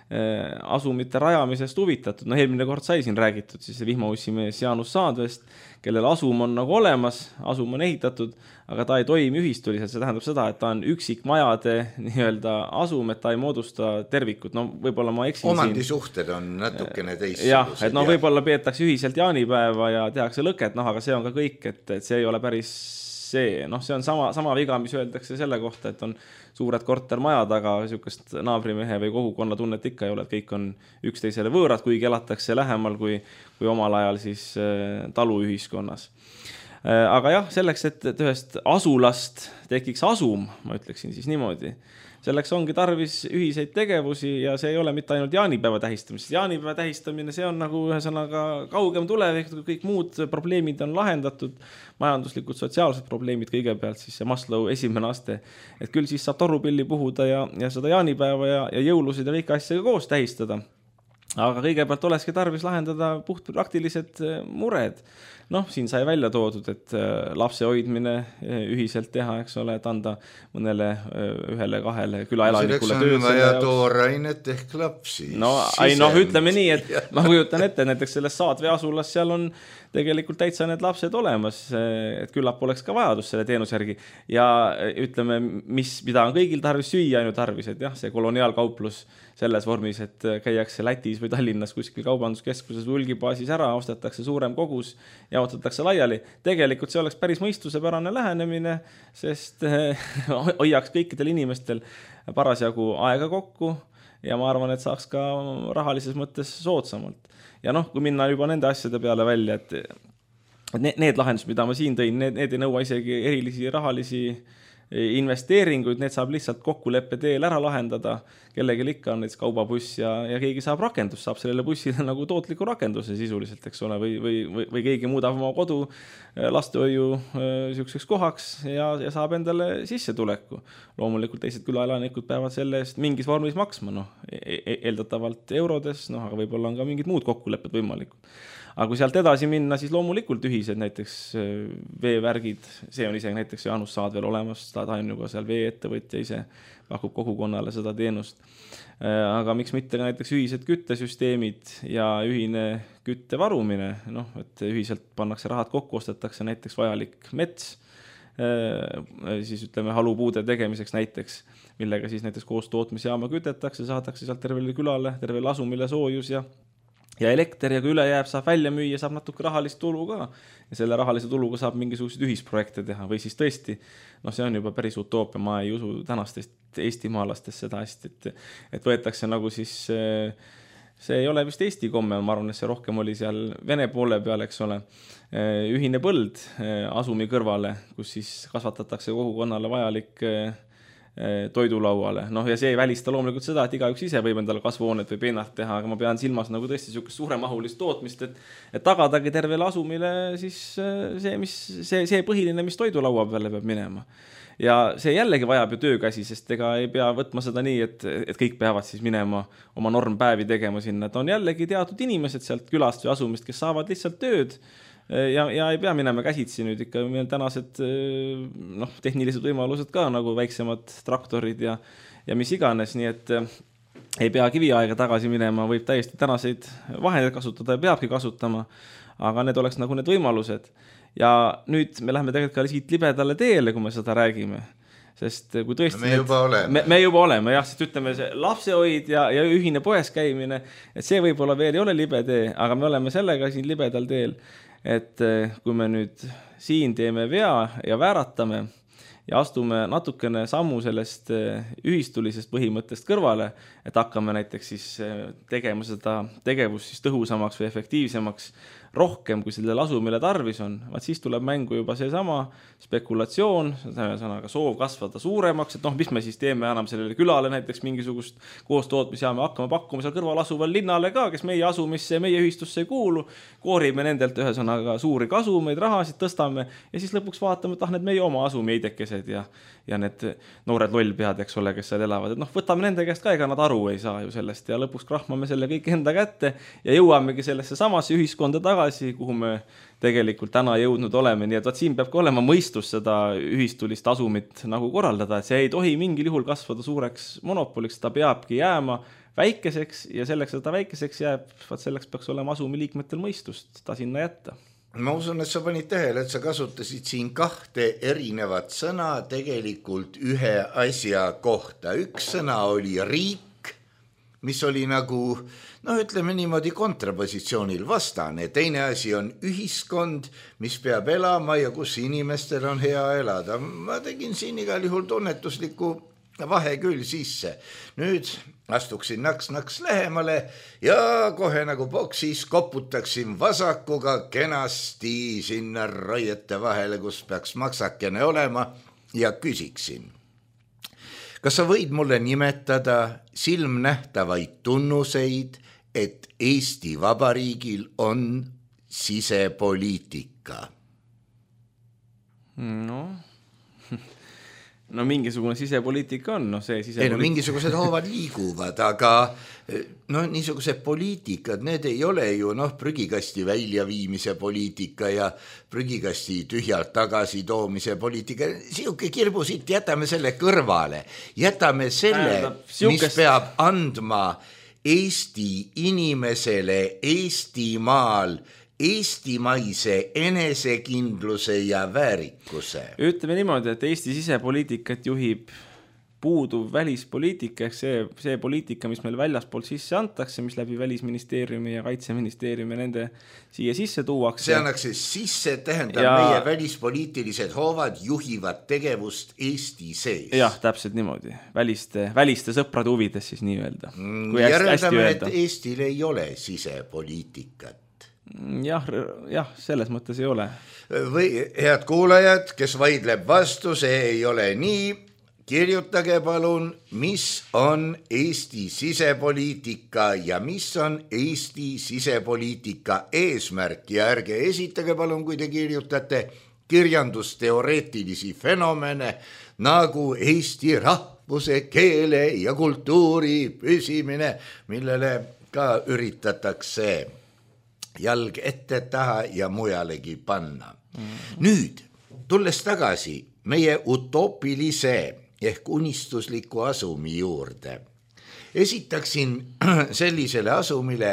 asumite rajamisest huvitatud. No eelmine kord sai siin räägitud siis vihmaussimees Jaanus Saadvest, kellel asum on nagu olemas, asum on ehitatud, aga ta ei toimi ühistuliselt. See tähendab seda, et ta on üksikmajade nii-öelda asum, et ta ei moodusta tervikut. No võib-olla ma eksin siin. Omandisuhted on natukene teistsugused. Jah, et no võib-olla peetakse ühiselt jaanipäeva ja tehakse lõket, noh, aga see on ka kõik, et, et see ei ole päris see. Noh, see on sama, sama viga, mis öeldakse selle kohta, et on suured kortermajad, aga niisugust naabrimehe või kogukonna tunnet ikka ei ole, et kõik on üksteisele võõrad, kuigi elatakse lähemal kui, kui omal ajal siis taluühiskonnas. Aga jah, selleks, et ühest asulast tekiks asum, ma ütleksin siis niimoodi, selleks ongi tarvis ühiseid tegevusi ja see ei ole mitte ainult jaanipäeva tähistamist. Jaanipäeva tähistamine, see on nagu ühesõnaga kaugem tulevik, kõik muud probleemid on lahendatud, majanduslikud, sotsiaalsed probleemid kõigepealt, siis see Maslow esimene aste, et küll siis saab torupilli puhuda ja, ja seda jaanipäeva ja, ja jõulusid ja kõike asjaga koos tähistada. Aga kõigepealt olekski tarvis lahendada puht praktilised mured. Noh, siin sai välja toodud, et lapse hoidmine ühiselt teha, eks ole, et anda mõnele ühele, kahele külaelanikule tööd. Selleks on vaja toorainet ehk lapsi. No, ai, noh, ütleme nii, et ma kujutan ette, näiteks selles Saadve asulas seal on tegelikult täitsa need lapsed olemas, et küllap oleks ka vajadus selle teenuse järgi. Ja ütleme, mis, mida on kõigil tarvis süüa ainu tarvis, et jah, see koloniaalkauplus selles vormis, et käiakse Lätis või Tallinnas kuskil kaubanduskeskuses või hulgibaasis ära, ostetakse suurem kogus ja jaotatakse laiali. Tegelikult see oleks päris mõistusepärane lähenemine, sest hoiaks kõikidel inimestel parasjagu aega kokku ja ma arvan, et saaks ka rahalises mõttes soodsamalt. Ja noh, kui minna juba nende asjade peale välja, et need lahendused, mida ma siin tõin, need, need ei nõua isegi erilisi rahalisi investeeringuid, need saab lihtsalt kokkuleppe teel ära lahendada, kellegi ikka on näiteks kaubabuss ja, ja keegi saab rakendus, saab sellele bussile nagu tootliku rakenduse sisuliselt, eks ole, või, või, või, või keegi muudab oma kodu lastehoiu niisuguseks kohaks ja, ja saab endale sissetuleku. Loomulikult teised külaelanikud peavad selle eest mingis vormis maksma, noh, eeldatavalt eurodes, noh, aga võib-olla on ka mingid muud kokkulepped võimalikud. Aga kui sealt edasi minna, siis loomulikult ühised näiteks veevärgid, see on isegi näiteks Jaanus Saadvel olemas, ta on ju ka seal veeettevõtja ise, pakub kogukonnale seda teenust. Aga miks mitte näiteks ühised küttesüsteemid ja ühine kütte varumine, noh, et ühiselt pannakse rahad kokku, ostetakse näiteks vajalik mets, siis ütleme halupuude tegemiseks näiteks, millega siis näiteks koos tootmisjaama kütetakse, saadakse sealt tervele külale, tervele asumile soojus ja ja elekter ja kui üle jääb, saab välja müüa, saab natuke rahalist tulu ka. Ja selle rahalise tuluga saab mingisuguseid ühisprojekte teha või siis tõesti, noh see on juba päris utoopia, ma ei usu tänastest eestimaalastest seda hästi, et, et võetakse nagu siis, see ei ole vist Eesti komme, ma arvan, et see rohkem oli seal Vene poole peal, eks ole, ühine põld asumi kõrvale, kus siis kasvatatakse kogukonnale vajalik toidulauale. Noh, ja see ei välista loomulikult seda, et igaüks ise võib endale kasvuhoonet või peenart teha, aga ma pean silmas nagu tõesti niisugust suuremahulist tootmist, et, et tagadagi tervele asumile siis see, mis, see, see põhiline, mis toidulaua peale peab minema. Ja see jällegi vajab ju töökäsi, sest ega ei pea võtma seda nii, et, et kõik peavad siis minema oma normpäevi tegema sinna. Et on jällegi teatud inimesed sealt külast või asumist, kes saavad lihtsalt tööd ja, ja ei pea minema käsitsi nüüd ikka meil tänased noh, tehnilised võimalused ka nagu väiksemad traktorid ja, ja mis iganes, nii et ei pea kiviaega tagasi minema, võib täiesti tänaseid vahendeid kasutada ja peabki kasutama, aga need oleks nagu need võimalused. Ja nüüd me läheme tegelikult ka siit libedale teele, kui me seda räägime. Sest kui tõesti... Me juba oleme. Me, me juba oleme, jah, sest ütleme see lapsehoid ja, ja ühine poes käimine, et see võib-olla veel ei ole libe tee, aga me oleme sellega siin libedal teel, et kui me nüüd siin teeme vea ja vääratame ja astume natukene sammu sellest ühistulisest põhimõttest kõrvale, et hakkame näiteks siis tegema seda tegevust siis tõhusamaks või efektiivsemaks rohkem, kui sellele asumile tarvis on, vaat siis tuleb mängu juba seesama spekulatsioon, sõnaga soov kasvada suuremaks, et noh, mis me siis teeme enam sellele külale näiteks mingisugust koostootmis ja me hakkame pakkuma seal kõrval asuval linnale ka, kes meie asumisse ja meie ühistusse ei kuulu, koorime nendelt ühesõnaga suuri kasumeid, rahasid tõstame ja siis lõpuks vaatame, et ah, need meie oma asumi eidekesed ja, ja need noored lollpead, eks ole, kes seal elavad, et noh, võtame nende käest ka, ega nad aru ei saa ju sellest ja lõpuks krahmame selle kõik enda kätte ja jõuamegi sellesse samasse ühiskonda tagasi, kuhu me tegelikult täna jõudnud oleme, nii et vaat siin peab ka olema mõistus seda ühistulist asumit nagu korraldada, et see ei tohi mingil juhul kasvada suureks monopoliks, ta peabki jääma väikeseks ja selleks, et ta väikeseks jääb, vaat selleks peaks olema asumi liikmetel mõistust ta sinna jätta. Ma usun, et sa panid tähele, et sa kasutasid siin kahte erinevat sõna tegelikult ühe asja kohta. Üks sõna oli riik, mis oli nagu, no ütleme niimoodi kontrapositsioonil vastane. Teine asi on ühiskond, mis peab elama ja kus inimestel on hea elada. Ma tegin siin igal juhul tunnetusliku vahe küll sisse. Nüüd astuksin naks-naks lähemale ja kohe nagu boksis koputaksin vasakuga kenasti sinna raiete vahele, kus peaks maksakene olema ja küsiksin. Kas sa võid mulle nimetada silmnähtavaid tunnuseid, et Eesti Vabariigil on sisepoliitika? No, no mingisugune sisepoliitika on, no see sisepoliitika. Ei, no mingisugused hoovad liiguvad, aga no niisugused poliitikad, need ei ole ju noh, prügikasti väljaviimise poliitika ja prügikasti tühjalt tagasi toomise poliitika. Siuke kirbu siit, jätame selle kõrvale. Jätame selle, mis peab andma Eesti inimesele Eestimaal eestimaise enesekindluse ja väärikuse. Ütleme niimoodi, et Eesti sisepoliitikat juhib puuduv välispoliitika, ehk see, see poliitika, mis meil väljaspoolt sisse antakse, mis läbi Välisministeeriumi ja Kaitseministeeriumi nende siia sisse tuuakse. See annaks sisse, tähendab ja... meie välispoliitilised hoovad juhivad tegevust Eesti sees. Jah, täpselt niimoodi. Väliste, väliste sõprade huvides siis nii öelda. Järeldame, et Eestil ei ole sisepoliitikat. Jah, jah, selles mõttes ei ole. Või head kuulajad, kes vaidleb vastu, see ei ole nii, kirjutage palun, mis on Eesti sisepoliitika ja mis on Eesti sisepoliitika eesmärk ja ärge esitage palun, kui te kirjutate kirjandusteoreetilisi fenomene nagu Eesti rahvuse, keele ja kultuuri püsimine, millele ka üritatakse jalg ette taha ja mujalegi panna. Mm-hmm. Nüüd, tulles tagasi meie utoopilise ehk unistusliku asumi juurde, esitaksin sellisele asumile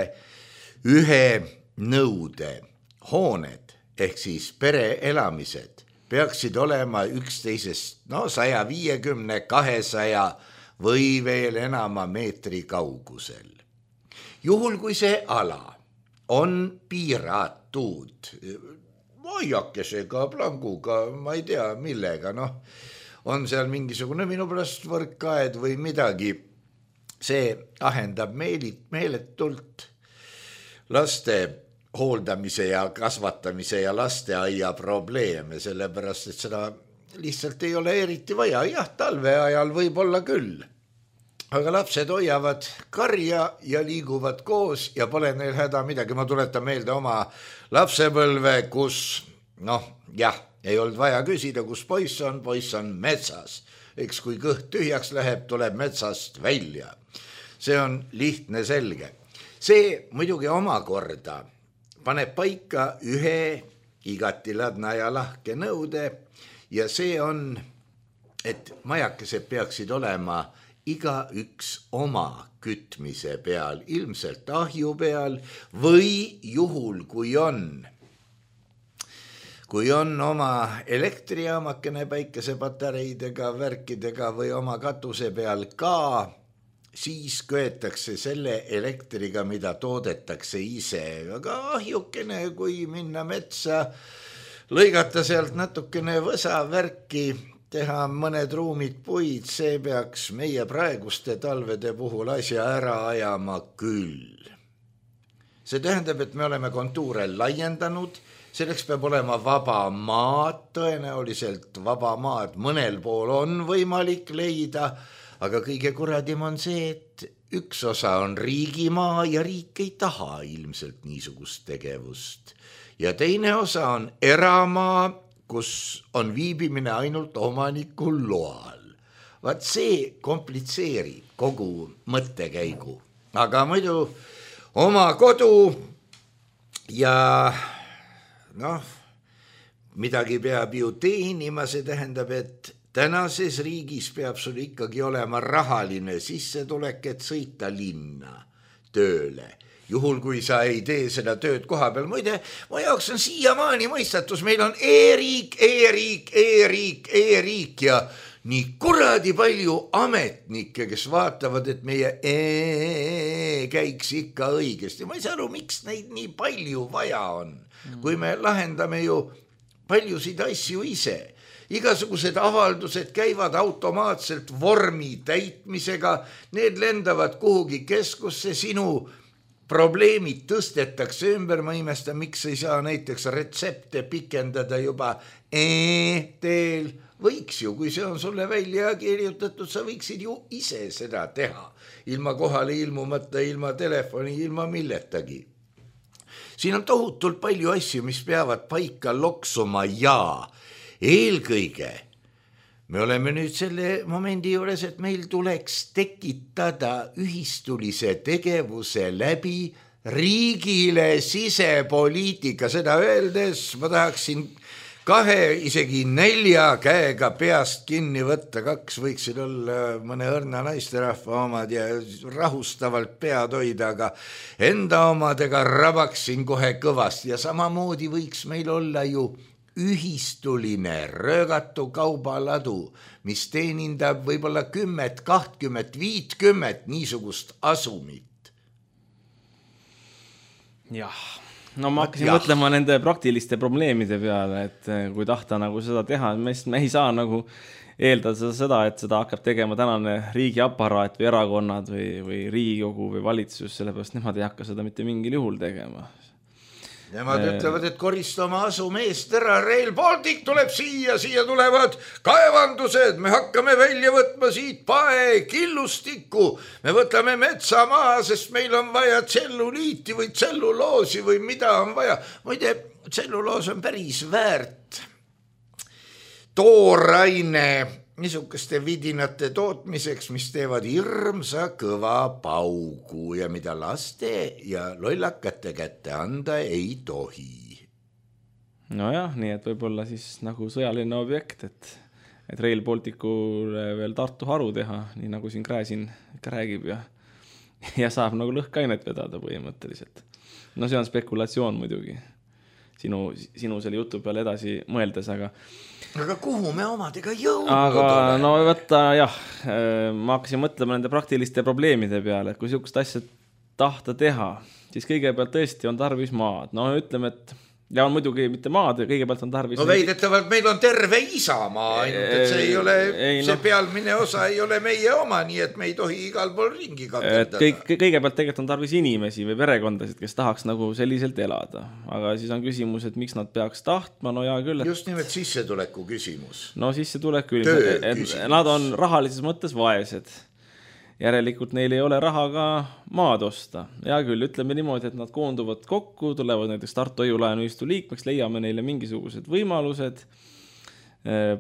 ühe nõude. Hooned ehk siis pereelamised peaksid olema üksteisest no saja viiekümne, kahesaja või veel enama meetri kaugusel. Juhul kui see ala on piiratud vaiakesega, planguga, ma ei tea millega, noh, on seal mingisugune minu pärast võrkkaed või midagi, see ahendab meelit, meeletult laste hooldamise ja kasvatamise ja lasteaia probleeme, sellepärast, et seda lihtsalt ei ole eriti vaja. Jah, talve ajal võib olla küll. Aga lapsed hoiavad karja ja liiguvad koos ja pole neil häda midagi. Ma tuletan meelde oma lapsepõlve, kus, noh, jah, ei olnud vaja küsida, kus poiss on, poiss on metsas. Eks kui kõht tühjaks läheb, tuleb metsast välja. See on lihtne selge. See muidugi omakorda paneb paika ühe igati ladna ja lahke nõude ja see on, et majakesed peaksid olema igaüks oma kütmise peal, ilmselt ahju peal või juhul, kui on, kui on oma elektrijaamakene päikesepatareidega, värkidega või oma katuse peal ka, siis köetakse selle elektriga, mida toodetakse ise. Aga ahjukene, kui minna metsa, lõigata sealt natukene võsa värki, teha mõned ruumid puid, see peaks meie praeguste talvede puhul asja ära ajama küll. See tähendab, et me oleme kontuure laiendanud, selleks peab olema vaba maad, tõenäoliselt vaba maad mõnel pool on võimalik leida, aga kõige kuradim on see, et üks osa on riigimaa ja riik ei taha ilmselt niisugust tegevust. Ja teine osa on eramaa, kus on viibimine ainult omanikul loal. Vaat see komplitseerib kogu mõttekäigu. Aga muidu oma kodu ja noh, midagi peab ju teenima, see tähendab, et tänases riigis peab sul ikkagi olema rahaline sissetulek, et sõita linna tööle. Juhul, kui sa ei tee seda tööd koha peal. Muide, ma jaoks on siiamaani mõistatus, meil on e-riik, e-riik, e-riik, e-riik ja nii kuradi palju ametnikke, kes vaatavad, et meie e käiks ikka õigesti. Ma ei saa aru, miks neid nii palju vaja on, kui me lahendame ju paljusid asju ise. Igasugused avaldused käivad automaatselt vormi täitmisega, need lendavad kuhugi keskusse, sinu probleemid tõstetakse ümber, ma imestan, miks ei saa näiteks retsepte pikendada juba e-teel. Võiks ju, kui see on sulle välja kirjutatud, sa võiksid ju ise seda teha. Ilma kohale ilmumata, ilma telefoni, ilma milletagi. Siin on tohutult palju asju, mis peavad paika loksuma ja eelkõige me oleme nüüd selle momendi juures, et meil tuleks tekitada ühistulise tegevuse läbi riigile sisepoliitika. Seda öeldes ma tahaksin kahe, isegi nelja käega peast kinni võtta, kaks võiksid olla mõne õrna naisterahva omad ja rahustavalt pead hoida, aga enda omadega rabaksin kohe kõvasti ja samamoodi võiks meil olla ju ühistuline röögatu kaubaladu, mis teenindab võib-olla kümmet, kahtkümmet, viitkümmet niisugust asumit. Jah, no ma hakkasin jah. mõtlema nende praktiliste probleemide peale, et kui tahta nagu seda teha, me ei saa nagu eeldada seda, et seda hakkab tegema tänane riigiaparaat või erakonnad või, või Riigikogu või valitsus, sellepärast nemad ei hakka seda mitte mingil juhul tegema. Nemad e... ütlevad, et koristama asume eest ära, Rail Baltic tuleb siia, siia tulevad kaevandused, me hakkame välja võtma siit pae, killustikku, me võtame metsa maha, sest meil on vaja tselluliiti või tselluloosi või mida on vaja. Muide, tselluloos on päris väärt tooraine niisuguste vidinate tootmiseks, mis teevad hirmsa kõva paugu ja mida laste ja lollakate kätte anda ei tohi. Nojah, nii et võib-olla siis nagu sõjaline objekt, et, et Rail Balticule veel Tartu haru teha, nii nagu siin Gräzin räägib ja, ja saab nagu lõhkainet vedada põhimõtteliselt. No see on spekulatsioon muidugi. Sinu, sinu selle jutu peale edasi mõeldes, aga aga kuhu me omadega jõudnud aga oleme? No võtta, jah, ma hakkasin mõtlema nende praktiliste probleemide peale, et kui niisugust asja tahta teha, siis kõigepealt tõesti on tarvis maad. No ütleme, et ja on muidugi mitte maad, kõigepealt on tarvis... No veidetavalt meil on terve isamaa ainult, et see ei ole, ei, see no. pealmine osa ei ole meie oma, nii et me ei tohi igal pool ringi kakendada. Kõik, kõigepealt tegelikult on tarvis inimesi või perekondasid, kes tahaks nagu selliselt elada. Aga siis on küsimus, et miks nad peaks tahtma, no ja küll. Et... Just nimelt sissetuleku küsimus. No sissetulek küll, et nad on rahalises mõttes vaesed. Järelikult neil ei ole raha ka maad osta. Ja küll, ütleme niimoodi, et nad koonduvad kokku, tulevad näiteks Tartu Hoiu-laenuühistu liikmeks, leiame neile mingisugused võimalused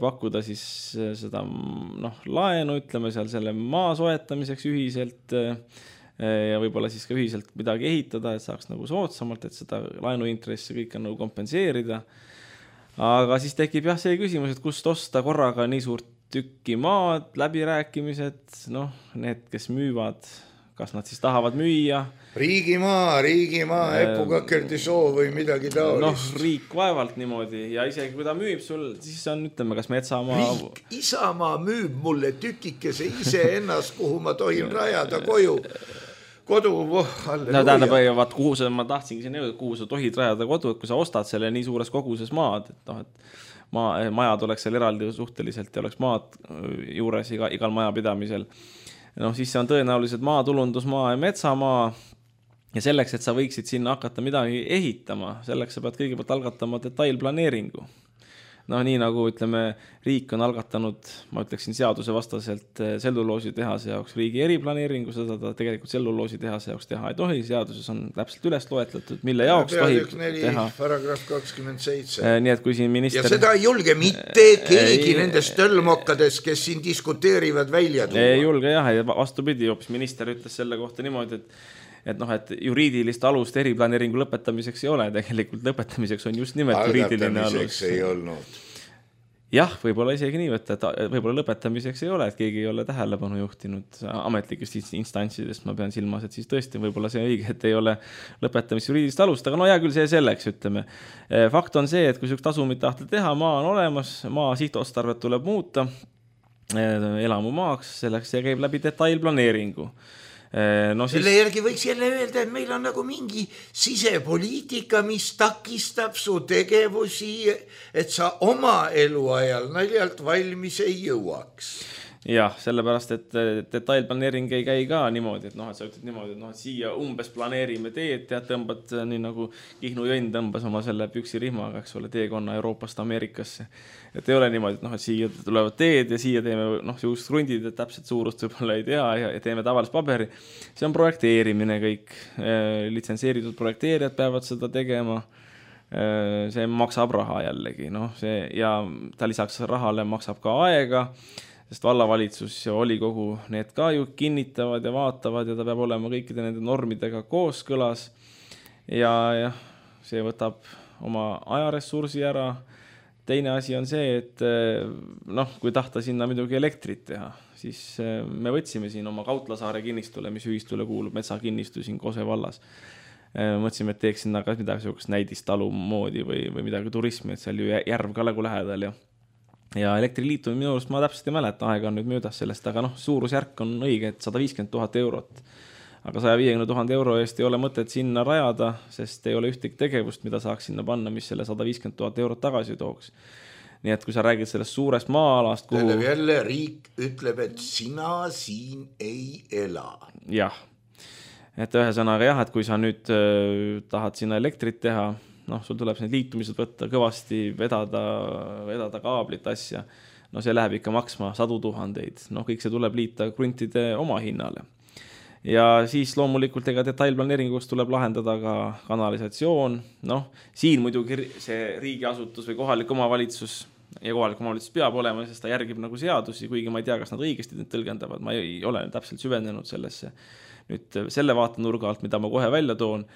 pakkuda siis seda noh, laenu, ütleme seal selle maa soetamiseks ühiselt ja võib-olla siis ka ühiselt midagi ehitada, et saaks nagu soodsamalt, et seda laenuintressi kõik on nagu kompenseerida. Aga siis tekib jah see küsimus, et kust osta korraga nii suurt tükki maad, läbirääkimised, noh, need, kes müüvad, kas nad siis tahavad müüa. Riigimaa, riigimaa, Epukakerdi soo või midagi taolist. Noh, riik vaevalt niimoodi ja isegi kui ta müüb sul, siis on, ütleme, kas metsamaa... Riik, Isamaa müüb mulle tükikese ise ennast, kuhu ma tohin rajada koju. Kodu, voh, no tähendab, vaat kuhu sa, ma tahtsingi siin jõuda, kuhu sa tohid rajada kodu, et kui sa ostad selle nii suures koguses maad, et noh, et maa, majad oleks seal eraldi suhteliselt ja oleks maad juures iga, igal majapidamisel. noh, siis see on tõenäoliselt maatulundusmaa ja metsamaa ja selleks, et sa võiksid sinna hakata midagi ehitama, selleks sa pead kõigepealt algatama detailplaneeringu. noh, nii nagu ütleme, riik on algatanud, ma ütleksin seaduse vastaselt tselluloosi tehase jaoks riigi eriplaneeringu, seda ta tegelikult tselluloosi tehase jaoks teha ei tohi, seaduses on täpselt üles loetletud, mille jaoks tohib teha. paragrahv kakskümmend seitse. Nii et kui siin minister... Ja seda ei julge mitte keegi ei, nendest tõlmokkades, kes siin diskuteerivad välja tuua. Ei julge jah, ja vastupidi, hoopis minister ütles selle kohta niimoodi, et et noh, et juriidilist alust eriplaneeringu lõpetamiseks ei ole, tegelikult lõpetamiseks on just nimelt juriidiline alus. Ei olnud. Jah, võib-olla isegi nii võtta, et võib-olla lõpetamiseks ei ole, et keegi ei ole tähelepanu juhtinud ametlikest instantsidest, ma pean silmas, et siis tõesti võib-olla see õige, et ei ole lõpetamise juriidilist alust, aga no hea küll see selleks, ütleme. Fakt on see, et kui süüks tasumit tahta teha, maa on olemas, maa sihtotstarvet tuleb muuta elamumaaks, selleks see käib läbi detailplaneeringu. No siis... Selle järgi võiks jälle öelda, et meil on nagu mingi sisepoliitika, mis takistab su tegevusi, et sa oma eluajal naljalt valmis ei jõuaks. Jah, sellepärast, et detailplaneering ei käi ka niimoodi, et noh, et sa ütled niimoodi, et noh, et siia umbes planeerime teed, tead, tõmbad nii nagu Kihnu Jõnn tõmbas oma selle püksirihmaga, eks ole, teekonna Euroopast Ameerikasse. Et ei ole niimoodi, et noh, et siia tulevad teed ja siia teeme, noh, siuksed krundid, et täpselt suurust võib-olla ei tea ja teeme tavalist paberi. See on projekteerimine kõik. Litsenseeritud projekteerijad peavad seda tegema. See maksab raha jällegi, noh, see ja ta lisaks rahale maksab ka aega, sest vallavalitsus ja volikogu need ka ju kinnitavad ja vaatavad ja ta peab olema kõikide nende normidega kooskõlas ja, ja see võtab oma ajaressursi ära. Teine asi on see, et noh, kui tahta sinna midagi elektrit teha, siis me võtsime siin oma Kautlasaare kinnistule, mis ühistule kuulub metsakinnistu siin Kose vallas. Mõtlesime, et teeks sinna ka midagi näidistalu moodi või, või midagi turismi, et seal ju järv ka nagu lähedal ja ja elektriliitu minu arust ma täpselt ei mäleta, aega on nüüd möödas sellest, aga noh, suurusjärk on õige, et sada viiskümmend tuhat eurot. Aga saja viiekümne tuhande euro eest ei ole mõtet sinna rajada, sest ei ole ühtegi tegevust, mida saaks sinna panna, mis selle sada viiskümmend tuhat eurot tagasi tooks. Nii et kui sa räägid sellest suurest maa-alast, kuhu... Tähendab jälle riik ütleb, et sina siin ei ela. Jah. Et ühesõnaga jah, et kui sa nüüd äh, tahad sinna elektrit teha, noh, sul tuleb need liitumised võtta kõvasti, vedada, vedada kaablit asja. No see läheb ikka maksma sadu tuhandeid. Noh, kõik see tuleb liita kruntide oma hinnale. Ja siis loomulikult ega detailplaneeringus tuleb lahendada ka kanalisatsioon. Noh, siin muidugi see riigiasutus või kohalik omavalitsus ja kohalik omavalitsus peab olema, sest ta järgib nagu seadusi, kuigi ma ei tea, kas nad õigesti need tõlgendavad. Ma ei ole täpselt süvenenud sellesse. Nüüd selle vaatenurga alt, mida ma kohe välja toon,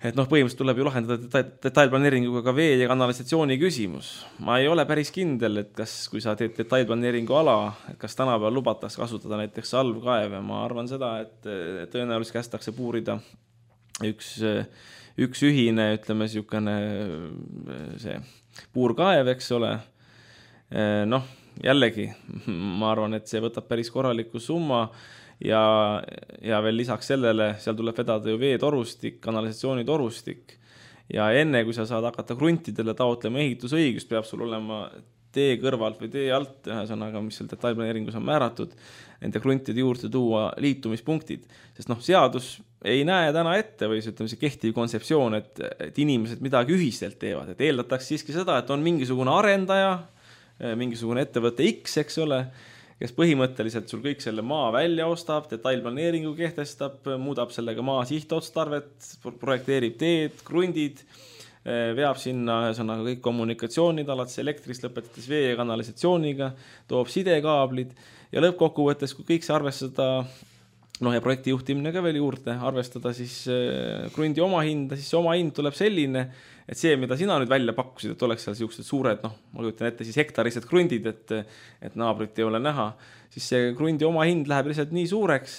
et noh, põhimõtteliselt tuleb ju lahendada detailplaneeringuga ka vee ja kanalisatsiooni küsimus. Ma ei ole päris kindel, et kas, kui sa teed detailplaneeringu ala, et kas tänapäeval lubataks kasutada näiteks salvkaeve. Ma arvan seda, et tõenäoliselt kästakse puurida üks, üks ühine, ütleme, siukene see puurkaev, eks ole. Noh, jällegi, ma arvan, et see võtab päris korraliku summa. Ja, ja veel lisaks sellele, seal tuleb vedada ju veetorustik, kanalisatsioonitorustik ja enne, kui sa saad hakata kruntidele taotlema ehitusõigust, peab sul olema tee kõrvalt või tee alt, ühesõnaga, mis seal detailplaneeringus on määratud, nende kruntide juurde tuua liitumispunktid, sest noh, seadus ei näe täna ette või see, ütleme, see kehtiv kontseptsioon, et, et inimesed midagi ühiselt teevad, et eeldatakse siiski seda, et on mingisugune arendaja, mingisugune ettevõte X, eks ole, kes põhimõtteliselt sul kõik selle maa välja ostab, detailplaneeringu kehtestab, muudab sellega maa sihtotstarvet, projekteerib teed, krundid, veab sinna ühesõnaga kõik kommunikatsioonid, alates elektrist lõpetades vee ja kanalisatsiooniga, toob sidekaablid ja lõppkokkuvõttes, kui kõik see arvestada noh ja projekti juhtimine ka veel juurde, arvestada siis krundi oma hinda, siis see oma hind tuleb selline, et see, mida sina nüüd välja pakkusid, et oleks seal sellised suured, noh, ma kujutan ette siis hektarised krundid, et, et naabrit ei ole näha, siis see krundi oma hind läheb lihtsalt nii suureks,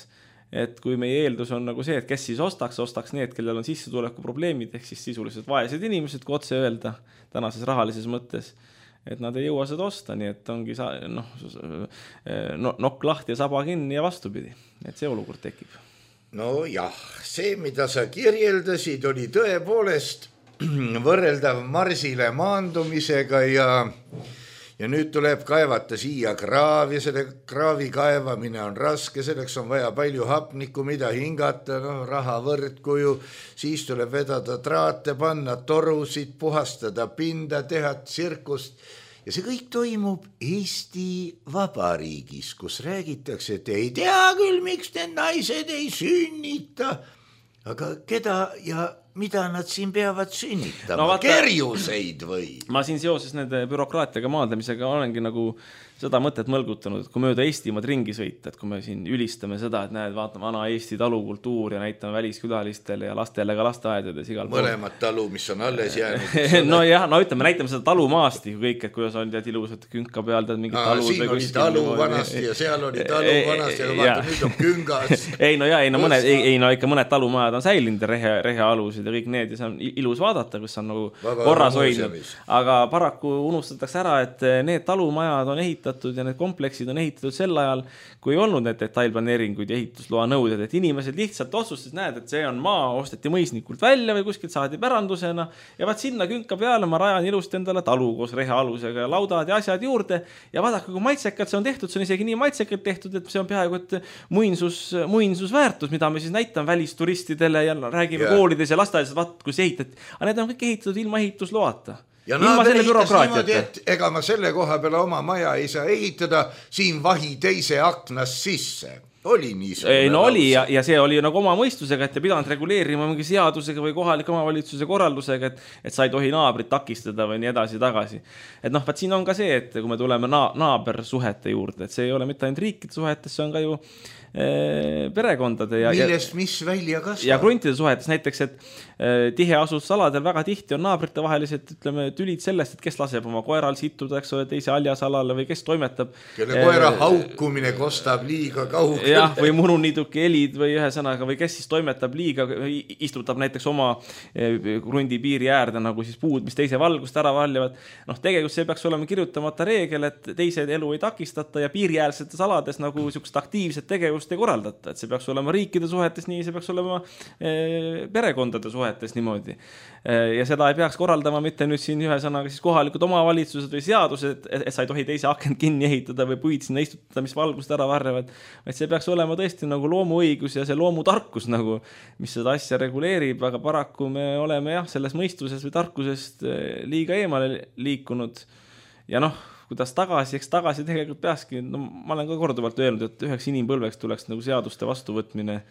et kui meie eeldus on nagu see, et kes siis ostaks, ostaks need, kellel on sissetuleku probleemid, ehk siis sisuliselt vaesed inimesed, kui otse öelda tänases rahalises mõttes, et nad ei jõua seda osta, nii et ongi sa, noh, no, nokk lahti ja saba kinni ja vastupidi, et see olukord tekib. No jah, see, mida sa kirjeldasid, oli tõepoolest võrreldav Marsile maandumisega ja, ja nüüd tuleb kaevata siia kraav ja selle kraavi kaevamine on raske, selleks on vaja palju hapnikku, mida hingata, no, raha võrdkuju, siis tuleb vedada traate, panna torusid, puhastada pinda, teha tsirkust ja see kõik toimub Eesti Vabariigis, kus räägitakse, et ei tea küll, miks need naised ei sünnita, aga keda ja mida nad siin peavad sünnitama, no, vaata, kerjuseid või? Ma siin seoses nende bürokraatiaga maadlemisega olengi nagu seda mõtet mõlgutanud, et kui mööda Eestimaad ringi sõita, et kui me siin ülistame seda, et näed, vaatame vana Eesti talukultuur ja näitame väliskülalistele ja lastele ka lasteaedades igal pool. Mõlemad talu, mis on alles jäänud. no jah, no ütleme, näitame seda talumaasti kõik, et kuidas on tead ilusad künka peal, tead mingid Aa, talud. Siin oli talu vanasti ja seal oli talu vanasti, aga vaata, nüüd on küngas. ei no jah, ei no mõned, ei, ei no ikka mõned talumajad on säilinud rehe, rehe alusid ja kõik need ja see on ilus vaadata, kus on nagu Vaba korras hoidnud. Aga paraku unustatakse ära, et need talumajad on ehitatud ja need kompleksid on ehitatud sel ajal, kui ei olnud need detailplaneeringuid ja ehitusloa nõuded, et inimesed lihtsalt otsustas, näed, et see on maa, osteti mõisnikult välja või kuskilt saadi pärandusena ja vaat sinna künka peale ma rajan ilusti endale talu koos rehe alusega ja laudad ja asjad juurde ja vaadake, kui maitsekalt see on tehtud, see on isegi nii maitsekalt tehtud, et see on peaaegu et muinsus, muinsusväärtus, mida me siis näitame välisturistidele ja räägime ja. Koolides ja lasteaedades, vaat kus ehitati, aga need on kõik ehitatud ilma ehitusloata. Ja naaber ehitas niimoodi, et ega ma selle koha peale oma maja ei saa ehitada, siin vahi teise aknas sisse. Oli niisugune. Ei, no oli ja, ja see oli nagu oma mõistusega, et te pidanud reguleerima mingi seadusega või kohalike omavalitsuse korraldusega, et, et sa ei tohi naabrit takistada või nii edasi tagasi. Et noh, vaat siin on ka see, et kui me tuleme na- naabersuhete juurde, et see ei ole mitte ainult riikide suhetes, see on ka ju e, perekondade ja, millest mis välja kasvab. Ja kruntide suhetes näiteks, et e, tiheasustusaladel väga tihti on naabrite vahelised, ütleme, tülid sellest, et kes laseb oma koeral situda, eks ole, teise aljasalale või kes toimetab. Kelle koera e, haukumine kostab liiga kaugele. Jah, või mununiiduki helid või ühe sõnaga või kes siis toimetab liiga, istutab näiteks oma krundi piiri äärde nagu siis puud, mis teise valgust ära valjavad. Noh, tegelikult see peaks olema kirjutamata reegel, et teised elu ei takistata ja piiriäärsetes alades nagu niisugust aktiivset tegevust ei korraldata. Et see peaks olema riikide suhetes nii, see peaks olema e, perekondade suhetes niimoodi. E, ja seda ei peaks korraldama mitte nüüd siin ühe sõnaga siis kohalikud omavalitsused või seadused, et, et sa ei tohi teise akent kinni ehitada või puid sinna istutada, mis valgust ära varjavad. Et see peaks olema tõesti nagu loomuõigus ja see loomutarkus nagu, mis seda asja reguleerib, aga paraku me oleme jah, selles mõistuses või tarkusest liiga eemale liikunud ja noh, kuidas tagasi, eks tagasi tegelikult peakski, no ma olen ka korduvalt öelnud, et üheks inimpõlveks tuleks nagu seaduste vastuvõtmine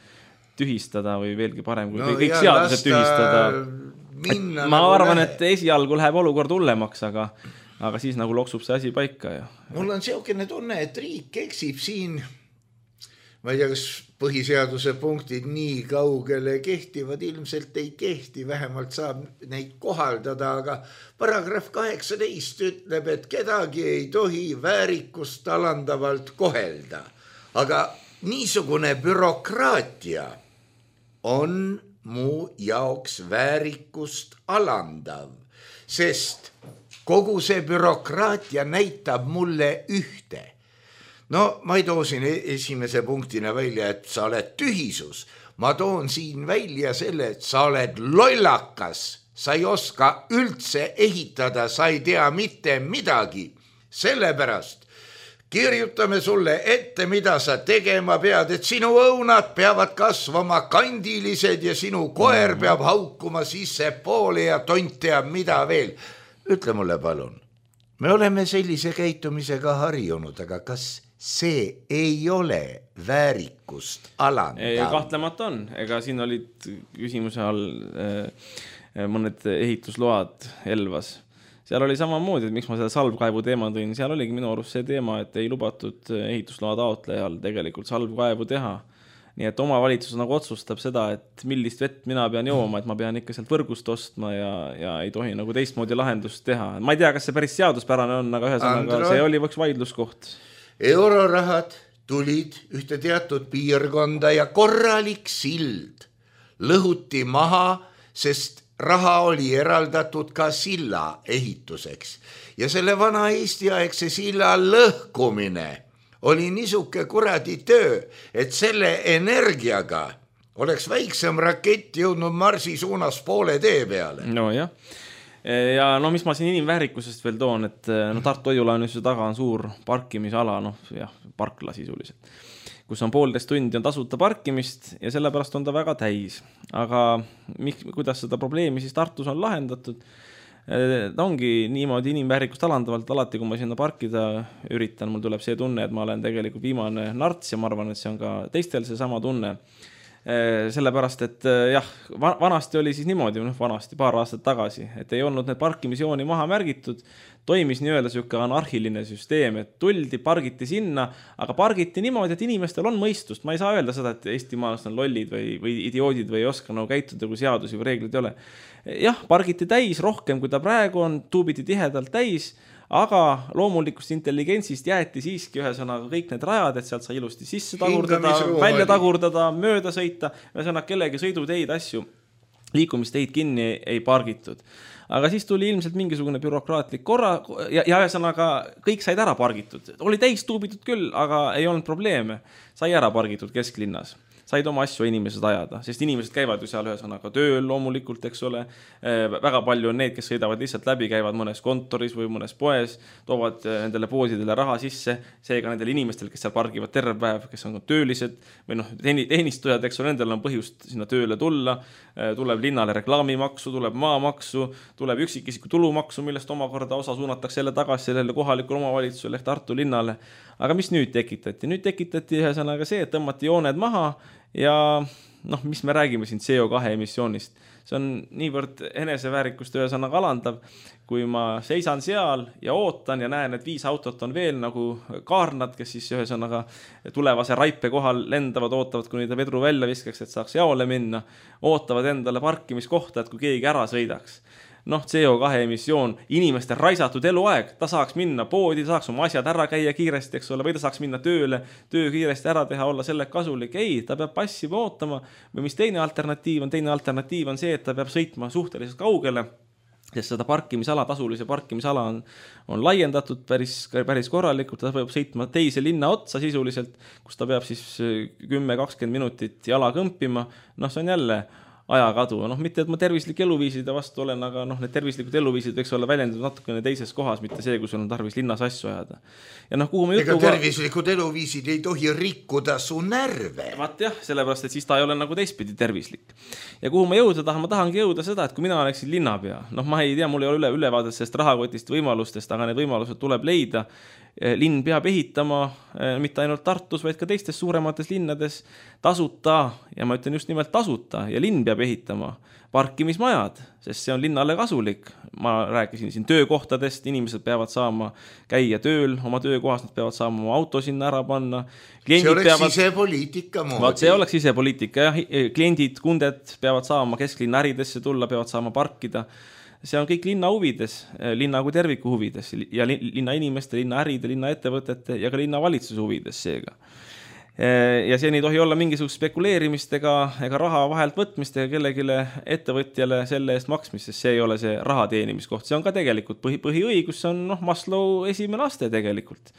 tühistada või veelgi parem kui no, kõik jah, seadused tühistada. Minna, ma nagu arvan, lähe. Et esialgu läheb olukord hullemaks, aga, aga siis nagu loksub see asi paika. Ja. Mul on seokene tunne, et riik eksib siin. Ma ei tea, kas põhiseaduse punktid nii kaugele kehtivad, ilmselt ei kehti, vähemalt saab neid kohaldada, aga paragrahv kaheksateist ütleb, et kedagi ei tohi väärikust alandavalt kohelda. Aga niisugune bürokraatia on mu jaoks väärikust alandav, sest kogu see bürokraatia näitab mulle ühte. No ma ei too siin esimese punktina välja, et sa oled tühisus. Ma toon siin välja selle, et sa oled lollakas. Sa ei oska üldse ehitada, sa ei tea mitte midagi. Sellepärast kirjutame sulle ette, mida sa tegema pead, et sinu õunad peavad kasvama kandilised ja sinu koer peab haukuma sisse poole ja tont teab mida veel. Ütle mulle palun, me oleme sellise käitumisega harjunud, aga kas see ei ole väärikust alandav? Kahtlemata on, ega siin olid küsimuse all mõned ehitusload Elvas. Seal oli samamoodi, et miks ma seda salvkaevu teema tõin, seal oligi minu arust see teema, et ei lubatud ehitusloa taotlejal tegelikult salvkaevu teha. nii et omavalitsus nagu otsustab seda, et millist vett mina pean jooma, et ma pean ikka sealt võrgust ostma ja, ja ei tohi nagu teistmoodi lahendust teha. Ma ei tea, kas see päris seaduspärane on, aga ühesõnaga see oli üks vaidluskoht. Eurorahad tulid ühte teatud piirkonda ja korralik sild lõhuti maha, sest raha oli eraldatud ka silla ehituseks. Ja selle vana Eesti aegse silla lõhkumine oli niisuke kuradi töö, et selle energiaga oleks väiksem rakett jõudnud Marsi suunas poole tee peale. No jah. Ja no mis ma siin inimväärikusest veel toon, et no Tartu Hoiulaenuse taga on suur parkimisala, noh jah, parkla sisuliselt, kus on poolteist tundi on tasuta parkimist ja sellepärast on ta väga täis. Aga miks, kuidas seda probleemi siis Tartus on lahendatud? Ta ongi niimoodi inimväärikust alandavalt, alati kui ma sinna parkida üritan, mul tuleb see tunne, et ma olen tegelikult viimane narts ja ma arvan, et see on ka teistel see sama tunne. Sellepärast, et jah, vanasti oli siis niimoodi, noh, vanasti paar aastat tagasi, et ei olnud need parkimisjooni maha märgitud, toimis nii-öelda siuke anarhiline süsteem, et tuldi, pargiti sinna, aga pargiti niimoodi, et inimestel on mõistust. Ma ei saa öelda seda, et eestimaalased on lollid või, või idioodid või ei oska nagu käituda, kui seadusi või reeglid ei ole. Jah, pargiti täis rohkem, kui ta praegu on, tuubiti tihedalt täis, aga loomulikust intelligentsist jäeti siiski ühesõnaga kõik need rajad, et sealt sai ilusti sisse tagurdada, välja tagurdada, mööda sõita, ühesõnaga kellegi sõiduteid asju, liikumisteid kinni ei pargitud. Aga siis tuli ilmselt mingisugune bürokraatlik korra ja, ja ühesõnaga kõik said ära pargitud. Oli täis tuubitud küll, aga ei olnud probleeme. Sai ära pargitud kesklinnas. Said oma asju inimesed ajada, sest inimesed käivad ju seal ühesõnaga tööl loomulikult, eks ole. Väga palju on need, kes sõidavad lihtsalt läbi, käivad mõnes kontoris või mõnes poes, toovad nendele poodidele raha sisse, seega nendel inimestel, kes seal pargivad terve päev, kes on töölised või noh, teenistujad, eks ole, nendel on põhjust sinna tööle tulla, tuleb linnale reklaamimaksu, tuleb maamaksu, tuleb üksikisiku tulumaksu, millest omakorda osa suunatakse jälle tagasi sellele kohalikule omavalitsusele ehk Tartu linnale. Aga mis nüüd tekitati? Nüüd tekitati ühesõnaga see, et tõmmati jooned maha ja noh, mis me räägime siin C O kahe emissioonist. See on niivõrd eneseväärikust ühesõnaga alandav, kui ma seisan seal ja ootan ja näen, et viis autot on veel nagu kaarnad, kes siis ühesõnaga tulevase raipe kohal lendavad, ootavad, kuni ta vedru välja viskaks, et saaks jaole minna, ootavad endale parkimiskohta, et kui keegi ära sõidaks. Noh, C O kahe emissioon, inimeste raisatud eluaeg, ta saaks minna poodi, ta saaks oma asjad ära käia kiiresti, eks ole, või ta saaks minna tööle, töö kiiresti ära teha, olla selle kasulik. Ei, ta peab passiva ootama või mis teine alternatiiv on, teine alternatiiv on see, et ta peab sõitma suhteliselt kaugele, sest seda parkimisala, tasulise parkimisala on, on laiendatud päris, päris korralikult, ta peab sõitma teise linna otsa sisuliselt, kus ta peab siis kümme kakskümmend minutit jala kõmpima, noh, see on jälle ajakadu. Noh, mitte, et ma tervislik eluviiside vastu olen, aga noh, need tervislikud eluviisid võiks olla väljendatud natukene teises kohas, mitte see, kus on tarvis linnas asju ajada. Ja noh, kuhu ma jutuga... Ega tervislikud eluviisid ei tohi rikkuda su närve. Vaat jah, sellepärast, et siis ta ei ole nagu teistpidi tervislik. Ja kuhu ma jõuda tahan, ma tahangi jõuda seda, et kui mina oleksin linnapea, noh, ma ei tea, mul ei ole üle, ülevaadet sellest rahakotist võimalustest, aga need võimalused tuleb leida. Linn peab ehitama mitte ainult Tartus, vaid ka teistes suuremates linnades tasuta, ja ma ütlen just nimelt tasuta, ja linn peab ehitama parkimismajad, sest see on linnale kasulik. Ma rääkisin siin töökohtadest, inimesed peavad saama käia tööl, oma töökohas nad peavad saama oma auto sinna ära panna. Kliendid see oleks peavad... sisepoliitika moodi. Vaat see oleks sisepoliitika, jah. Kliendid, kunded peavad saama kesklinna äridesse tulla, peavad saama parkida. See on kõik linna huvides, linna kui terviku huvides ja linna inimeste, linna äride, linna ettevõtete ja ka linna valitsuse huvides seega. Ja see ei tohi olla mingisugust spekuleerimist ega, ega raha vahelt võtmist ega kellegile ettevõtjale selle eest maksmist, sest see ei ole see raha teenimiskoht. See on ka tegelikult põhi, põhiõigus, see on noh, Maslow esimene aste tegelikult.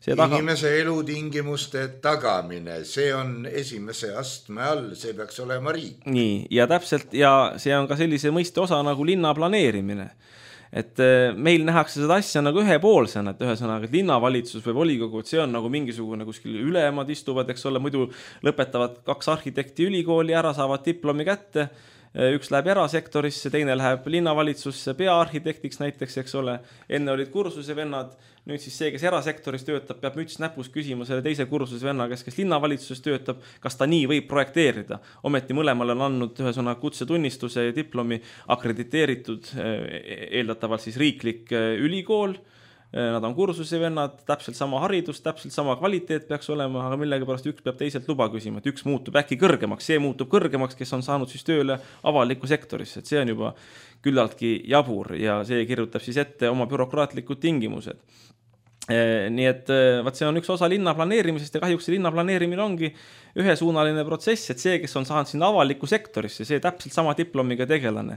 Taga... Inimese elutingimuste tagamine, see on esimese astme all, see peaks olema riik. Nii, ja täpselt, ja see on ka sellise mõiste osa nagu linna planeerimine. Et meil nähakse seda asja nagu ühepoolsena, et ühesõnaga, et linnavalitsus või volikogu, et see on nagu mingisugune kuskil ülemad istuvad, eks ole, muidu lõpetavad kaks arhitekti ülikooli ära, saavad diplomi kätte, üks läheb erasektorisse, teine läheb linnavalitsusse peaarhitektiks näiteks, eks ole, enne olid kursuse vennad, nüüd siis see, kes erasektoris töötab, peab müts näpus küsima selle teise kursuse venna, kes, kes linnavalitsuses töötab, kas ta nii võib projekteerida. Ometi mõlemal on andnud ühesõna kutsetunnistuse ja diplomi akrediteeritud eeldatavalt siis riiklik ülikool, nad on kursusevennad, täpselt sama haridus, täpselt sama kvaliteet peaks olema, aga millega pärast üks peab teiselt luba küsima, et üks muutub äkki kõrgemaks, see muutub kõrgemaks, kes on saanud siis tööle avalikku sektorisse, et see on juba küllaltki jabur ja see kirjutab siis ette oma bürokraatlikud tingimused. Nii et vaat see on üks osa linna planeerimisest ja kahjuks see linna planeerimine ongi ühesuunaline protsess, et see, kes on saanud sinna avalikku sektorisse, see täpselt sama diplomiga tegelane.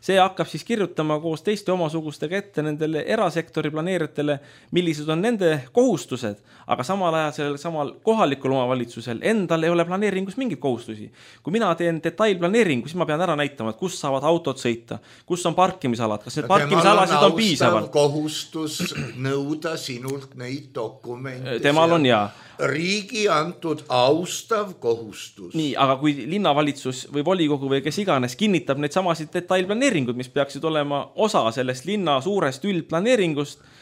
See hakkab siis kirjutama koos teiste omasugustega ette nendele erasektori planeerijatele, millised on nende kohustused, aga samal ajal sellel samal kohalikul omavalitsusel endal ei ole planeeringus mingit kohustusi. Kui mina teen detailplaneeringu, siis ma pean ära näitama, et kus saavad autod sõita, kus on parkimisalad, kas need parkimisalasid on piisavalt. Kohustus nõuda sinult neid dokumente. Temal on jaa. Riigi antud austav kohustus. Nii, aga kui linnavalitsus või volikogu või kes iganes kinnitab neid samasid detailplaneeringud, mis peaksid olema osa sellest linna suurest üldplaneeringust,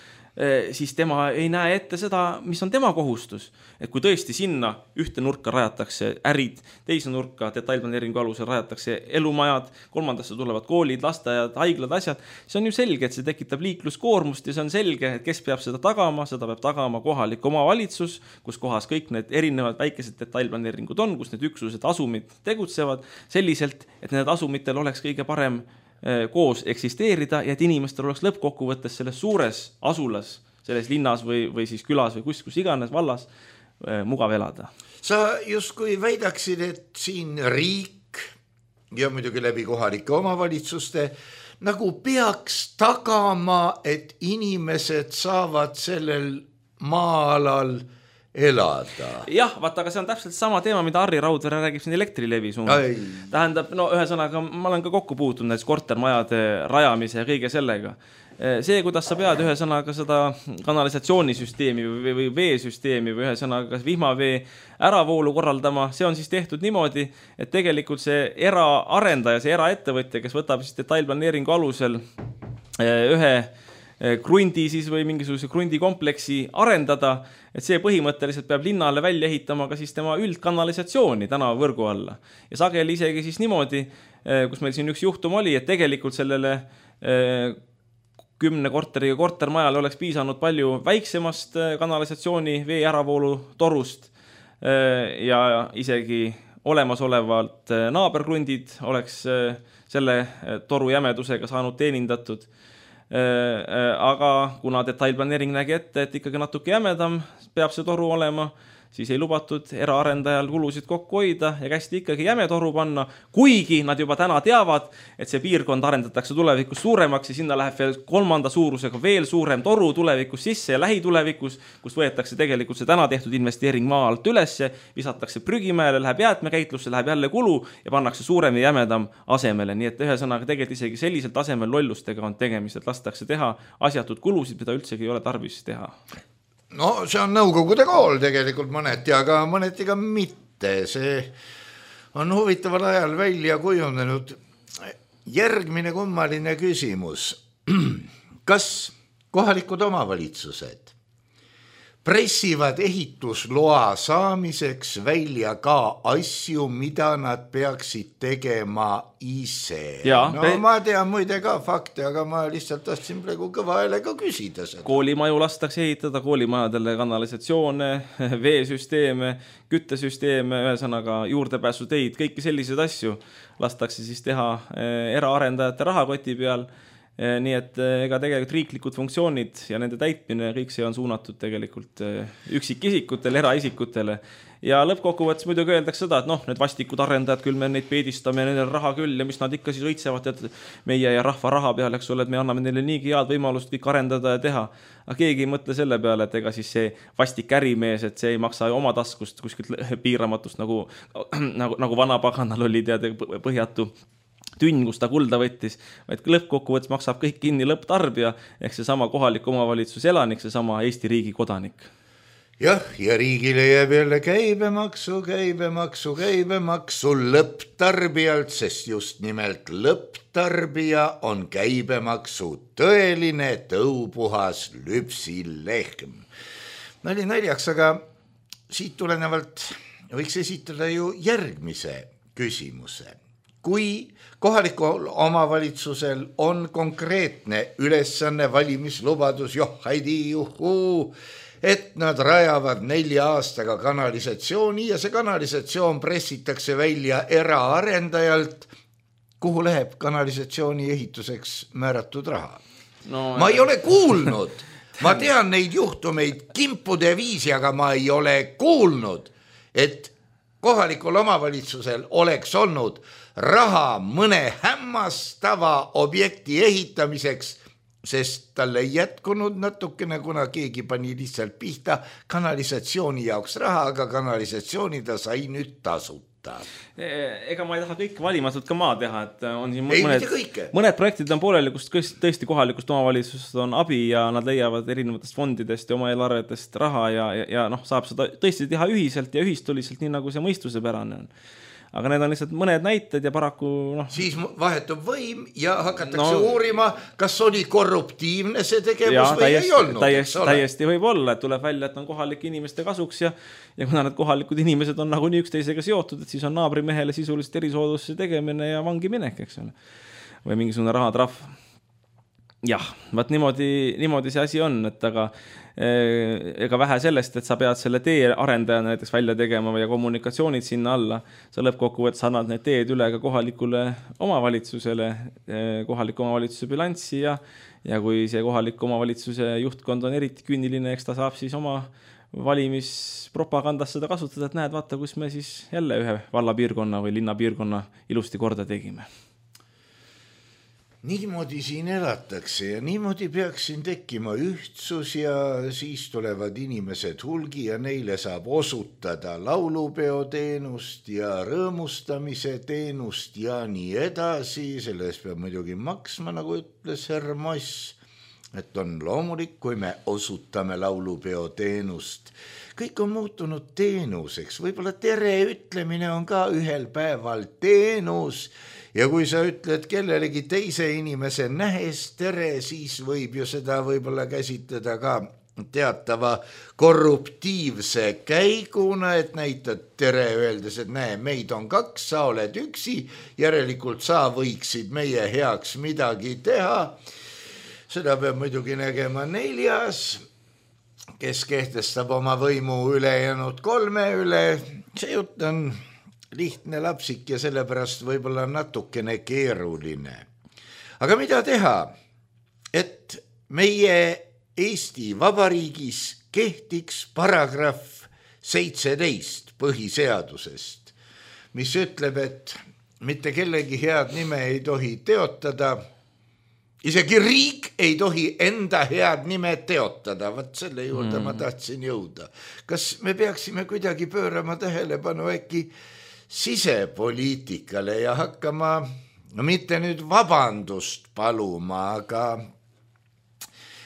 siis tema ei näe ette seda, mis on tema kohustus. Et kui tõesti sinna ühte nurka rajatakse ärid, teise nurka detailplaneeringu alusel rajatakse elumajad, kolmandasse tulevad koolid, lasteaiad, haiglad, asjad, see on ju selge, et see tekitab liikluskoormust ja see on selge, et kes peab seda tagama, seda peab tagama kohalik omavalitsus, kus kohas kõik need erinevad väikesed detailplaneeringud on, kus need üksused asumid tegutsevad selliselt, et need asumitel oleks kõige parem koos eksisteerida ja et inimestel oleks lõppkokkuvõttes selles suures asulas, selles linnas või, või siis külas või kus, kus iganes vallas mugav elada. Sa justkui väidaksid, et siin riik ja muidugi läbi kohalike omavalitsuste nagu peaks tagama, et inimesed saavad sellel maa-alal elada. Jah, vaata, aga see on täpselt sama teema, mida Harri Raudvere räägib siin Elektrilevi suunas. Tähendab, no ühesõnaga, ma olen ka kokku puutunud näiteks kortermajade rajamise ja kõige sellega. See, kuidas sa pead ühesõnaga seda kanalisatsioonisüsteemi või, või veesüsteemi või ühesõnaga vihmavee äravoolu korraldama, see on siis tehtud niimoodi, et tegelikult see eraarendaja, see eraettevõtja, kes võtab siis detailplaneeringu alusel ühe krundi siis või mingisuguse krundikompleksi arendada, et see põhimõtteliselt peab linnale välja ehitama ka siis tema üldkanalisatsiooni tänavavõrgu alla. Ja sageli isegi siis niimoodi, kus meil siin üks juhtum oli, et tegelikult sellele kümne korteriga kortermajal oleks piisanud palju väiksemast kanalisatsiooni vee äravoolu torust ja isegi olemasolevalt naaberkrundid oleks selle toru jämedusega saanud teenindatud. Aga kuna detailplaneering nägi ette, et ikkagi natuke jämedam peab see toru olema, siis ei lubatud eraarendajal kulusid kokku hoida ja kästi ikkagi jäme toru panna, kuigi nad juba täna teavad, et see piirkond arendatakse tulevikus suuremaks ja sinna läheb veel kolmanda suurusega veel suurem toru tulevikus sisse ja lähitulevikus, kus võetakse tegelikult see täna tehtud investeering maa alt ülesse, visatakse prügimäele, läheb jäätmekäitlusse, läheb jälle kulu ja pannakse suurem ja jämedam asemele. Nii et ühesõnaga tegelikult isegi sellisel tasemel lollustega on tegemist, et lastakse teha asjatud kulusid, mida üldsegi ei ole tarvis teha. No see on nõukogude kool tegelikult mõneti, aga mõneti ka mitte. See on huvitaval ajal välja kujunenud. Järgmine kummaline küsimus. Kas kohalikud omavalitsused pressivad ehitusloa saamiseks välja ka asju, mida nad peaksid tegema ise? Ja, no pe... ma tean muide ka fakte, aga ma lihtsalt tahtsin praegu kõva häälega küsida seda. Koolimaju lastakse ehitada, koolimajadele kanalisatsioone, veesüsteeme, küttesüsteeme, ühesõnaga juurdepääsuteid, kõiki selliseid asju lastakse siis teha eraarendajate rahakoti peal. Nii et ega tegelikult riiklikud funktsioonid ja nende täitmine, kõik see on suunatud tegelikult üksikisikutele, eraisikutele. Ja lõppkokkuvõttes muidugi öeldakse seda, et noh, need vastikud arendajad, küll me neid peedistame ja neil raha küll ja mis nad ikka siis õitsevad, et meie ja rahva raha peale, eks ole, et me anname neile niigi head võimalust kõik arendada ja teha. Aga keegi ei mõtle selle peale, et ega siis see vastik ärimees, et see ei maksa oma taskust kuskilt piiramatust, nagu, nagu, nagu vana paganal oli teada põhjatu tünn, kus ta kulda võttis, vaid lõppkokkuvõttes maksab kõik kinni lõpptarbija, ehk see sama kohalik omavalitsus elanik, see sama Eesti riigi kodanik. Jah, ja riigile jääb jälle käibemaksu, käibemaksu, käibemaksu lõpptarbijalt, sest just nimelt lõpptarbija on käibemaksu tõeline tõupuhas lüpsilehm. Nali naljaks, aga siit tulenevalt võiks esitada ju järgmise küsimuse. kui kohalikul omavalitsusel on konkreetne ülesanne valimislubadus, joh, haidi, juhuu, et nad rajavad nelja aastaga kanalisatsiooni ja see kanalisatsioon pressitakse välja eraarendajalt, kuhu läheb kanalisatsiooni ehituseks määratud raha. No, ma ei ole kuulnud, ma tean neid juhtumeid kimpude viisi, aga ma ei ole kuulnud, et kohalikul omavalitsusel oleks olnud raha mõne hämmastava objekti ehitamiseks, sest tal ei jätkunud natukene, kuna keegi pani lihtsalt pihta kanalisatsiooni jaoks raha, aga kanalisatsiooni ta sai nüüd tasuta. Ega ma ei taha kõik valimatult ka maa teha, et on siin mõned, mõned projektid on pooleli, kus tõesti kohalikust omavalitsusest on abi ja nad leiavad erinevatest fondidest ja oma eelarvetest raha ja, ja, ja noh, saab seda tõesti teha ühiselt ja ühistuliselt, nii nagu see mõistusepärane on. Aga need on lihtsalt mõned näited ja paraku noh... Siis vahetub võim ja hakatakse no, uurima, kas oli korruptiivne see tegevus ja, või täiesti, ei olnud. Täiesti, täiesti võib olla, et tuleb välja, et on kohalike inimeste kasuks ja, ja kuna need kohalikud inimesed on nagu nii üksteisega seotud, et siis on naabrimehele sisuliselt erisoodustuse tegemine ja vangi minek, eks ole. Või mingisugune rahatrahv. Jah, vaat niimoodi, niimoodi see asi on, et aga ega vähe sellest, et sa pead selle tee arendajana näiteks välja tegema ja kommunikatsioonid sinna alla, sa lõppkokkuvõttes annad need teed üle ka kohalikule omavalitsusele, kohaliku omavalitsuse bilanssi ja, ja kui see kohaliku omavalitsuse juhtkond on eriti küüniline, eks ta saab siis oma valimispropagandas seda kasutada, et näed, vaata, kus me siis jälle ühe vallapiirkonna või linnapiirkonna ilusti korda tegime. Niimoodi siin elatakse ja niimoodi peaks siin tekkima ühtsus ja siis tulevad inimesed hulgi ja neile saab osutada laulupeoteenust ja rõõmustamise teenust ja nii edasi. Selles peab muidugi maksma, nagu ütles härra Moss, et on loomulik, kui me osutame laulupeoteenust. Kõik on muutunud teenuseks, võib-olla tere ütlemine on ka ühel päeval teenus. Ja kui sa ütled kellelegi teise inimese nähes tere, siis võib ju seda võib-olla käsitleda ka teatava korruptiivse käiguna, et näitad tere öeldes, et näe, meid on kaks, sa oled üksi, järelikult sa võiksid meie heaks midagi teha. Seda peab muidugi nägema neljas, kes kehtestab oma võimu ülejäänud kolme üle. See jutt on lihtne lapsik ja sellepärast võib-olla natukene keeruline. Aga mida teha, et meie Eesti Vabariigis kehtiks paragrahv seitseteist põhiseadusest, mis ütleb, et mitte kellegi head nime ei tohi teotada, isegi riik ei tohi enda head nime teotada, vaat selle juurde mm. ma tahtsin jõuda. Kas me peaksime kuidagi pöörama tähelepanu äkki sisepoliitikale ja hakkama, no mitte nüüd vabandust paluma, aga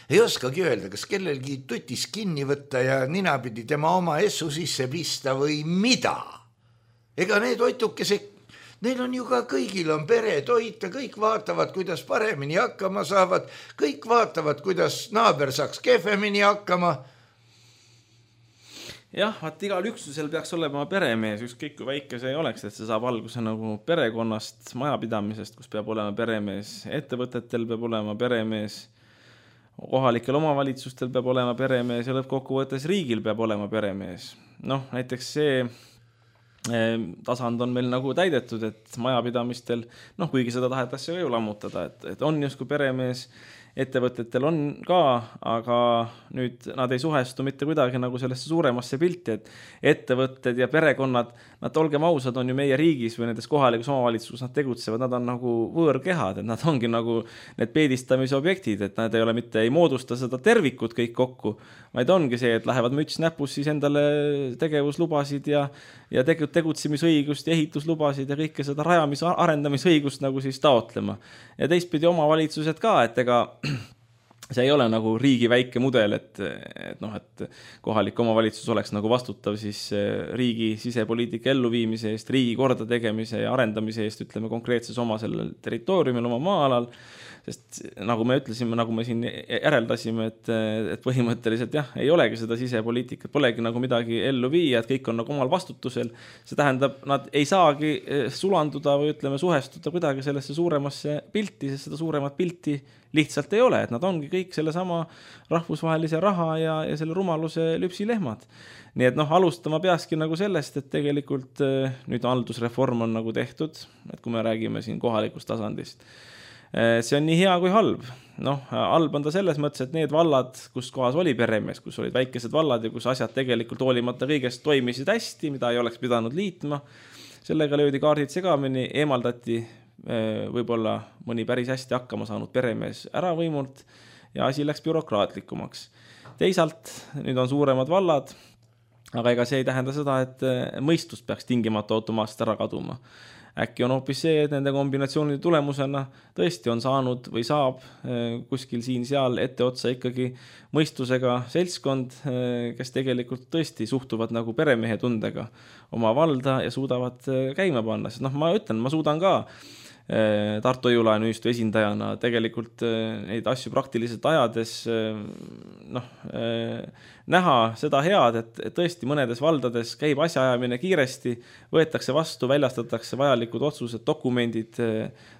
ei oskagi öelda, kas kellelgi tutis kinni võtta ja ninapidi tema oma essu sisse pista või mida. Ega need oitukesed, neil on ju ka kõigil on peretoit ja kõik vaatavad, kuidas paremini hakkama saavad, kõik vaatavad, kuidas naaber saaks kehvemini hakkama. Jah, vaat igal üksusel peaks olema peremees, ükskõik kui väike see ei oleks, et see saab alguse nagu perekonnast, majapidamisest, kus peab olema peremees, ettevõtetel peab olema peremees, kohalikel omavalitsustel peab olema peremees ja lõppkokkuvõttes riigil peab olema peremees. Noh, näiteks see tasand on meil nagu täidetud, et majapidamistel, noh, kuigi seda tahetakse ju lammutada, et, et on justkui peremees, ettevõtetel on ka, aga nüüd nad ei suhestu mitte kuidagi nagu sellesse suuremasse pilti, et ettevõtted ja perekonnad, nad olgem ausad, on ju meie riigis või nendes kohalikus omavalitsuses nad tegutsevad, nad on nagu võõrkehad, et nad ongi nagu need peedistamise objektid, et nad ei ole mitte, ei moodusta seda tervikut kõik kokku, vaid ongi see, et lähevad müts näpus siis endale tegevuslubasid ja, ja tegutsemisõigust ja ehituslubasid ja kõike seda rajamis- arendamisõigust nagu siis taotlema. Ja teistpidi omavalitsused ka, et ega see ei ole nagu riigi väike mudel, et, et, noh, et kohalik omavalitsus oleks nagu vastutav siis riigi sisepoliitika elluviimise eest, riigi korda tegemise ja arendamise eest, ütleme konkreetses oma sellel territooriumil, oma maa-alal. sest nagu me ütlesime, nagu me siin järeldasime, et, et põhimõtteliselt jah, ei olegi seda sisepoliitikat, polegi nagu midagi ellu viia, et kõik on nagu omal vastutusel. See tähendab, nad ei saagi sulanduda või ütleme suhestuda kuidagi sellesse suuremasse pilti, sest seda suuremat pilti lihtsalt ei ole, et nad ongi kõik selle sama rahvusvahelise raha ja, ja selle rumaluse lüpsilehmad. Nii et noh, alustama peakski nagu sellest, et tegelikult nüüd haldusreform on nagu tehtud, et kui me räägime siin kohalikust tasandist. See on nii hea kui halb. Noh, halb on ta selles mõttes, et need vallad, kus kohas oli peremees, kus olid väikesed vallad ja kus asjad tegelikult hoolimata kõigest toimisid hästi, mida ei oleks pidanud liitma, sellega löödi kaardid segamini, eemaldati võib-olla mõni päris hästi hakkama saanud peremees ära võimult ja asi läks bürokraatlikumaks. Teisalt, nüüd on suuremad vallad, aga ega see ei tähenda seda, et mõistust peaks tingimata automaatselt ära kaduma. Äkki on hoopis see, et nende kombinatsioonide tulemusena tõesti on saanud või saab kuskil siin-seal ette otsa ikkagi mõistusega seltskond, kes tegelikult tõesti suhtuvad nagu peremehe tundega oma valda ja suudavad käima panna. Sest noh, ma ütlen, ma suudan ka Tartu Jõulaenuühistu esindajana tegelikult neid asju praktiliselt ajades noh, näha seda head, et tõesti mõnedes valdades käib asjaajamine kiiresti, võetakse vastu, väljastatakse vajalikud otsused, dokumendid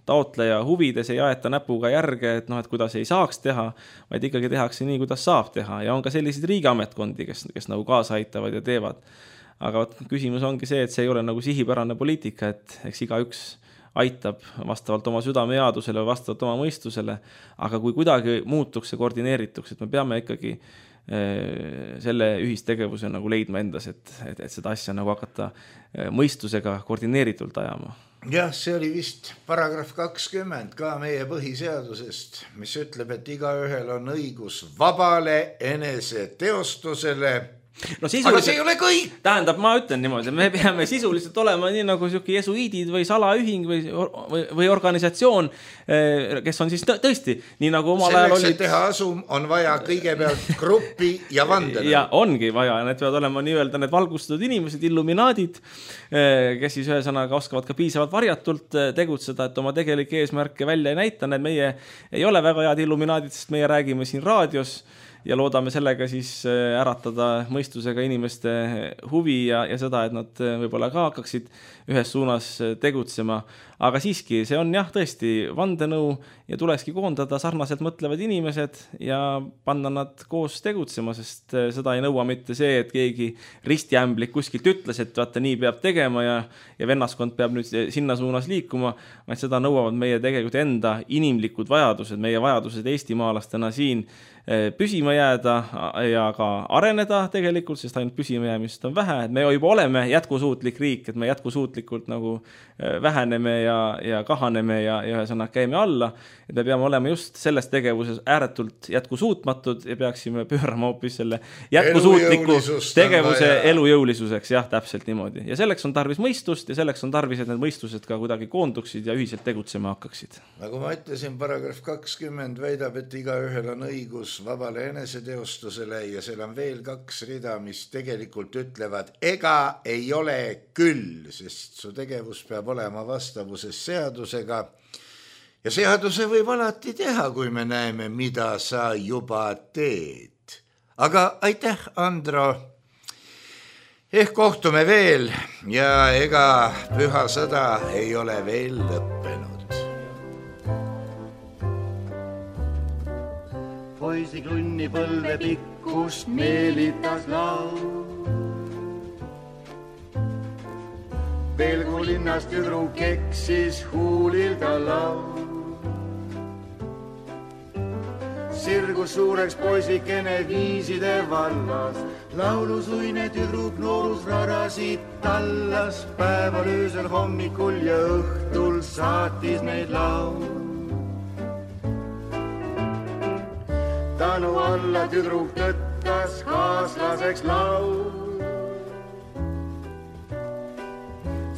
taotleja huvides, ei aeta näpuga järge, et, noh, et kuidas ei saaks teha, vaid ikkagi tehakse nii, kuidas saab teha. Ja on ka sellised riigiametkondi, kes, kes nagu kaasa aitavad ja teevad. Aga küsimus ongi see, et see ei ole nagu sihipärane poliitika, et eks iga üks aitab vastavalt oma südamejaadusele või vastavalt oma mõistusele, aga kui kuidagi muutuks ja koordineerituks, et me peame ikkagi selle ühistegevuse nagu leidma endas, et, et, et seda asja nagu hakata mõistusega koordineeritult ajama. Jah, see oli vist paragrahv kakskümmend ka meie põhiseadusest, mis ütleb, et igaühel on õigus vabale enese teostusele. No, aga see ei ole kõik. Tähendab, ma ütlen niimoodi, me peame sisuliselt olema nii nagu siuke jesuiidid või salaühing või, või, või organisatsioon, kes on siis tõesti nii nagu omal ajal oli. Selleks, et teha asum, on vaja kõigepealt gruppi ja vandele. Ja ongi vaja, need peavad olema nii-öelda need valgustatud inimesed, illuminaadid, kes siis ühesõnaga oskavad ka piisavalt varjatult tegutseda, et oma tegelike eesmärke välja ei näita. Need meie ei ole väga head illuminaadid, sest meie räägime siin raadios ja loodame sellega siis äratada mõistusega inimeste huvi ja, ja seda, et nad võib-olla ka hakkaksid ühes suunas tegutsema. Aga siiski, see on jah tõesti vandenõu ja tulekski koondada sarnaselt mõtlevad inimesed ja panna nad koos tegutsema, sest seda ei nõua mitte see, et keegi ristiämblik kuskilt ütles, et vaata nii peab tegema ja, ja vennaskond peab nüüd sinna suunas liikuma, vaid seda nõuavad meie tegelikult enda inimlikud vajadused, meie vajadused eestimaalastena siin püsima jääda ja ka areneda tegelikult, sest ainult püsima jäämist on vähe, et me juba oleme jätkusuutlik riik, et me jätkusuutlikult nagu väheneme ja, ja kahaneme ja, ja ühesõnaga käime alla, et me peame olema just selles tegevuses ääretult jätkusuutmatud ja peaksime pöörama hoopis selle jätkusuutliku tegevuse elujõulisuseks, jah, täpselt niimoodi. Ja selleks on tarvis mõistust ja selleks on tarvis, et need mõistused ka kuidagi koonduksid ja ühiselt tegutsema hakkaksid. Nagu ma ütlesin, paragrahv kakskümmend väidab, et igaühel on õigus vabale eneseteostusele ja seal on veel kaks rida, mis tegelikult ütlevad, ega ei ole küll, sest su tegevus peab olema vastavuses seadusega ja seaduse võib alati teha, kui me näeme, mida sa juba teed. Aga aitäh, Andro. Ehk kohtume veel ja ega püha sõda ei ole veel lõppenud. Poisi klunni põlve pikkust meelitas laul. Pelgu linnast tüdru keksis huulil ta laul. Sirgus suureks poisikene viiside vallas, laulusuine tüdruk noorus rarasid tallas, päeval öösel hommikul ja õhtul saatis neid laul. Tänu alla tüdruk tõttas kaaslaseks laul.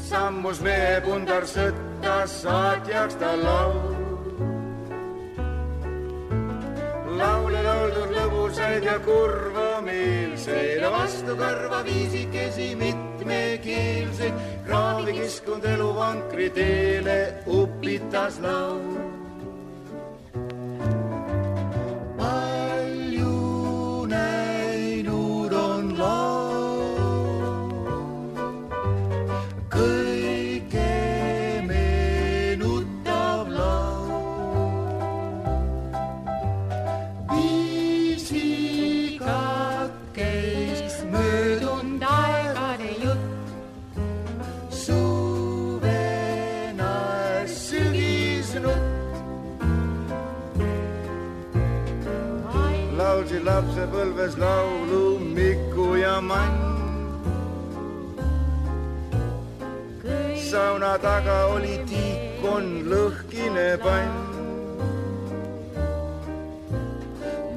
Sammus mehe pundar sõttas saatjaks ta laul. Laule lauldud lõbusaid ja kurva meelseid ja vastu karva viisikesi mitmekeelseid. Kraavi kiskund elu vankri teele upitas laul. lapsepõlves laulu Miku ja Mann. Sauna taga oli tiikon lõhkine pann.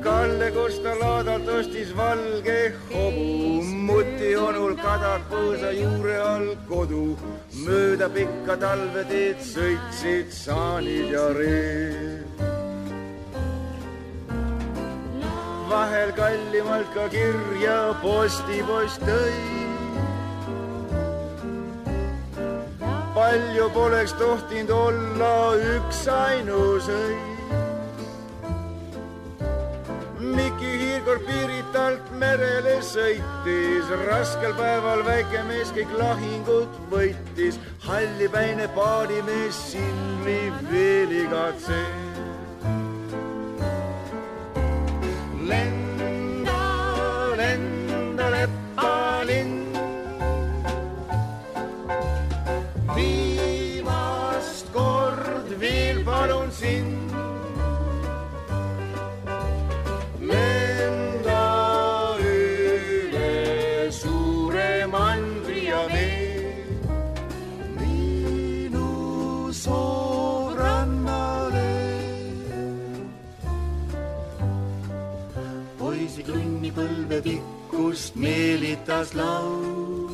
Kalle Kosta laadalt ostis valge hobu, muti onul kadak põõsa juure all kodu. Mööda pikka talveteed sõitsid saanid ja reed. Vahel kallimalt ka kirja postipost tõi. Palju poleks tohtinud olla üks ainus õis. Miki Hiirkord Piiritalt merele sõitis, raskel päeval väike mees kõik lahingut võitis. Hallipäine paadimees silmi veel igatses. Lenda, lenda leppalinn. Viimast kord veel palun sind. Lenda üle suure mandri ja vee. Minu soorannale. Poisi tunni põlve pikkust meelitas laul.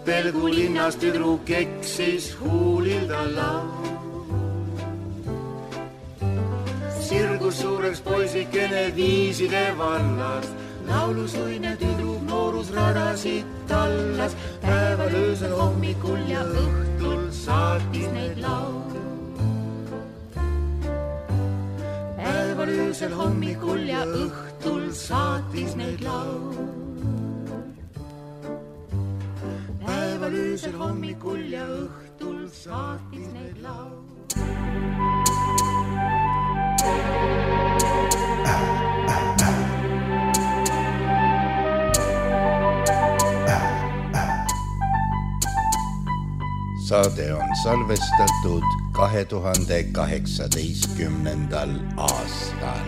Pelgu linnas tüdruk eksis huulilda laul. Sirgus suureks poisikene viiside vallas. Laulusuine tüdruk noorus radasid tallas. Päeval öösel hommikul ja õhtul saatis neid laul. Päeval öösel hommikul ja õhtul saatis neid laul. Päeval öösel hommikul ja õhtul saatis neid laul. Saade on salvestatud kahe tuhande kaheksateistkümnendal aastal.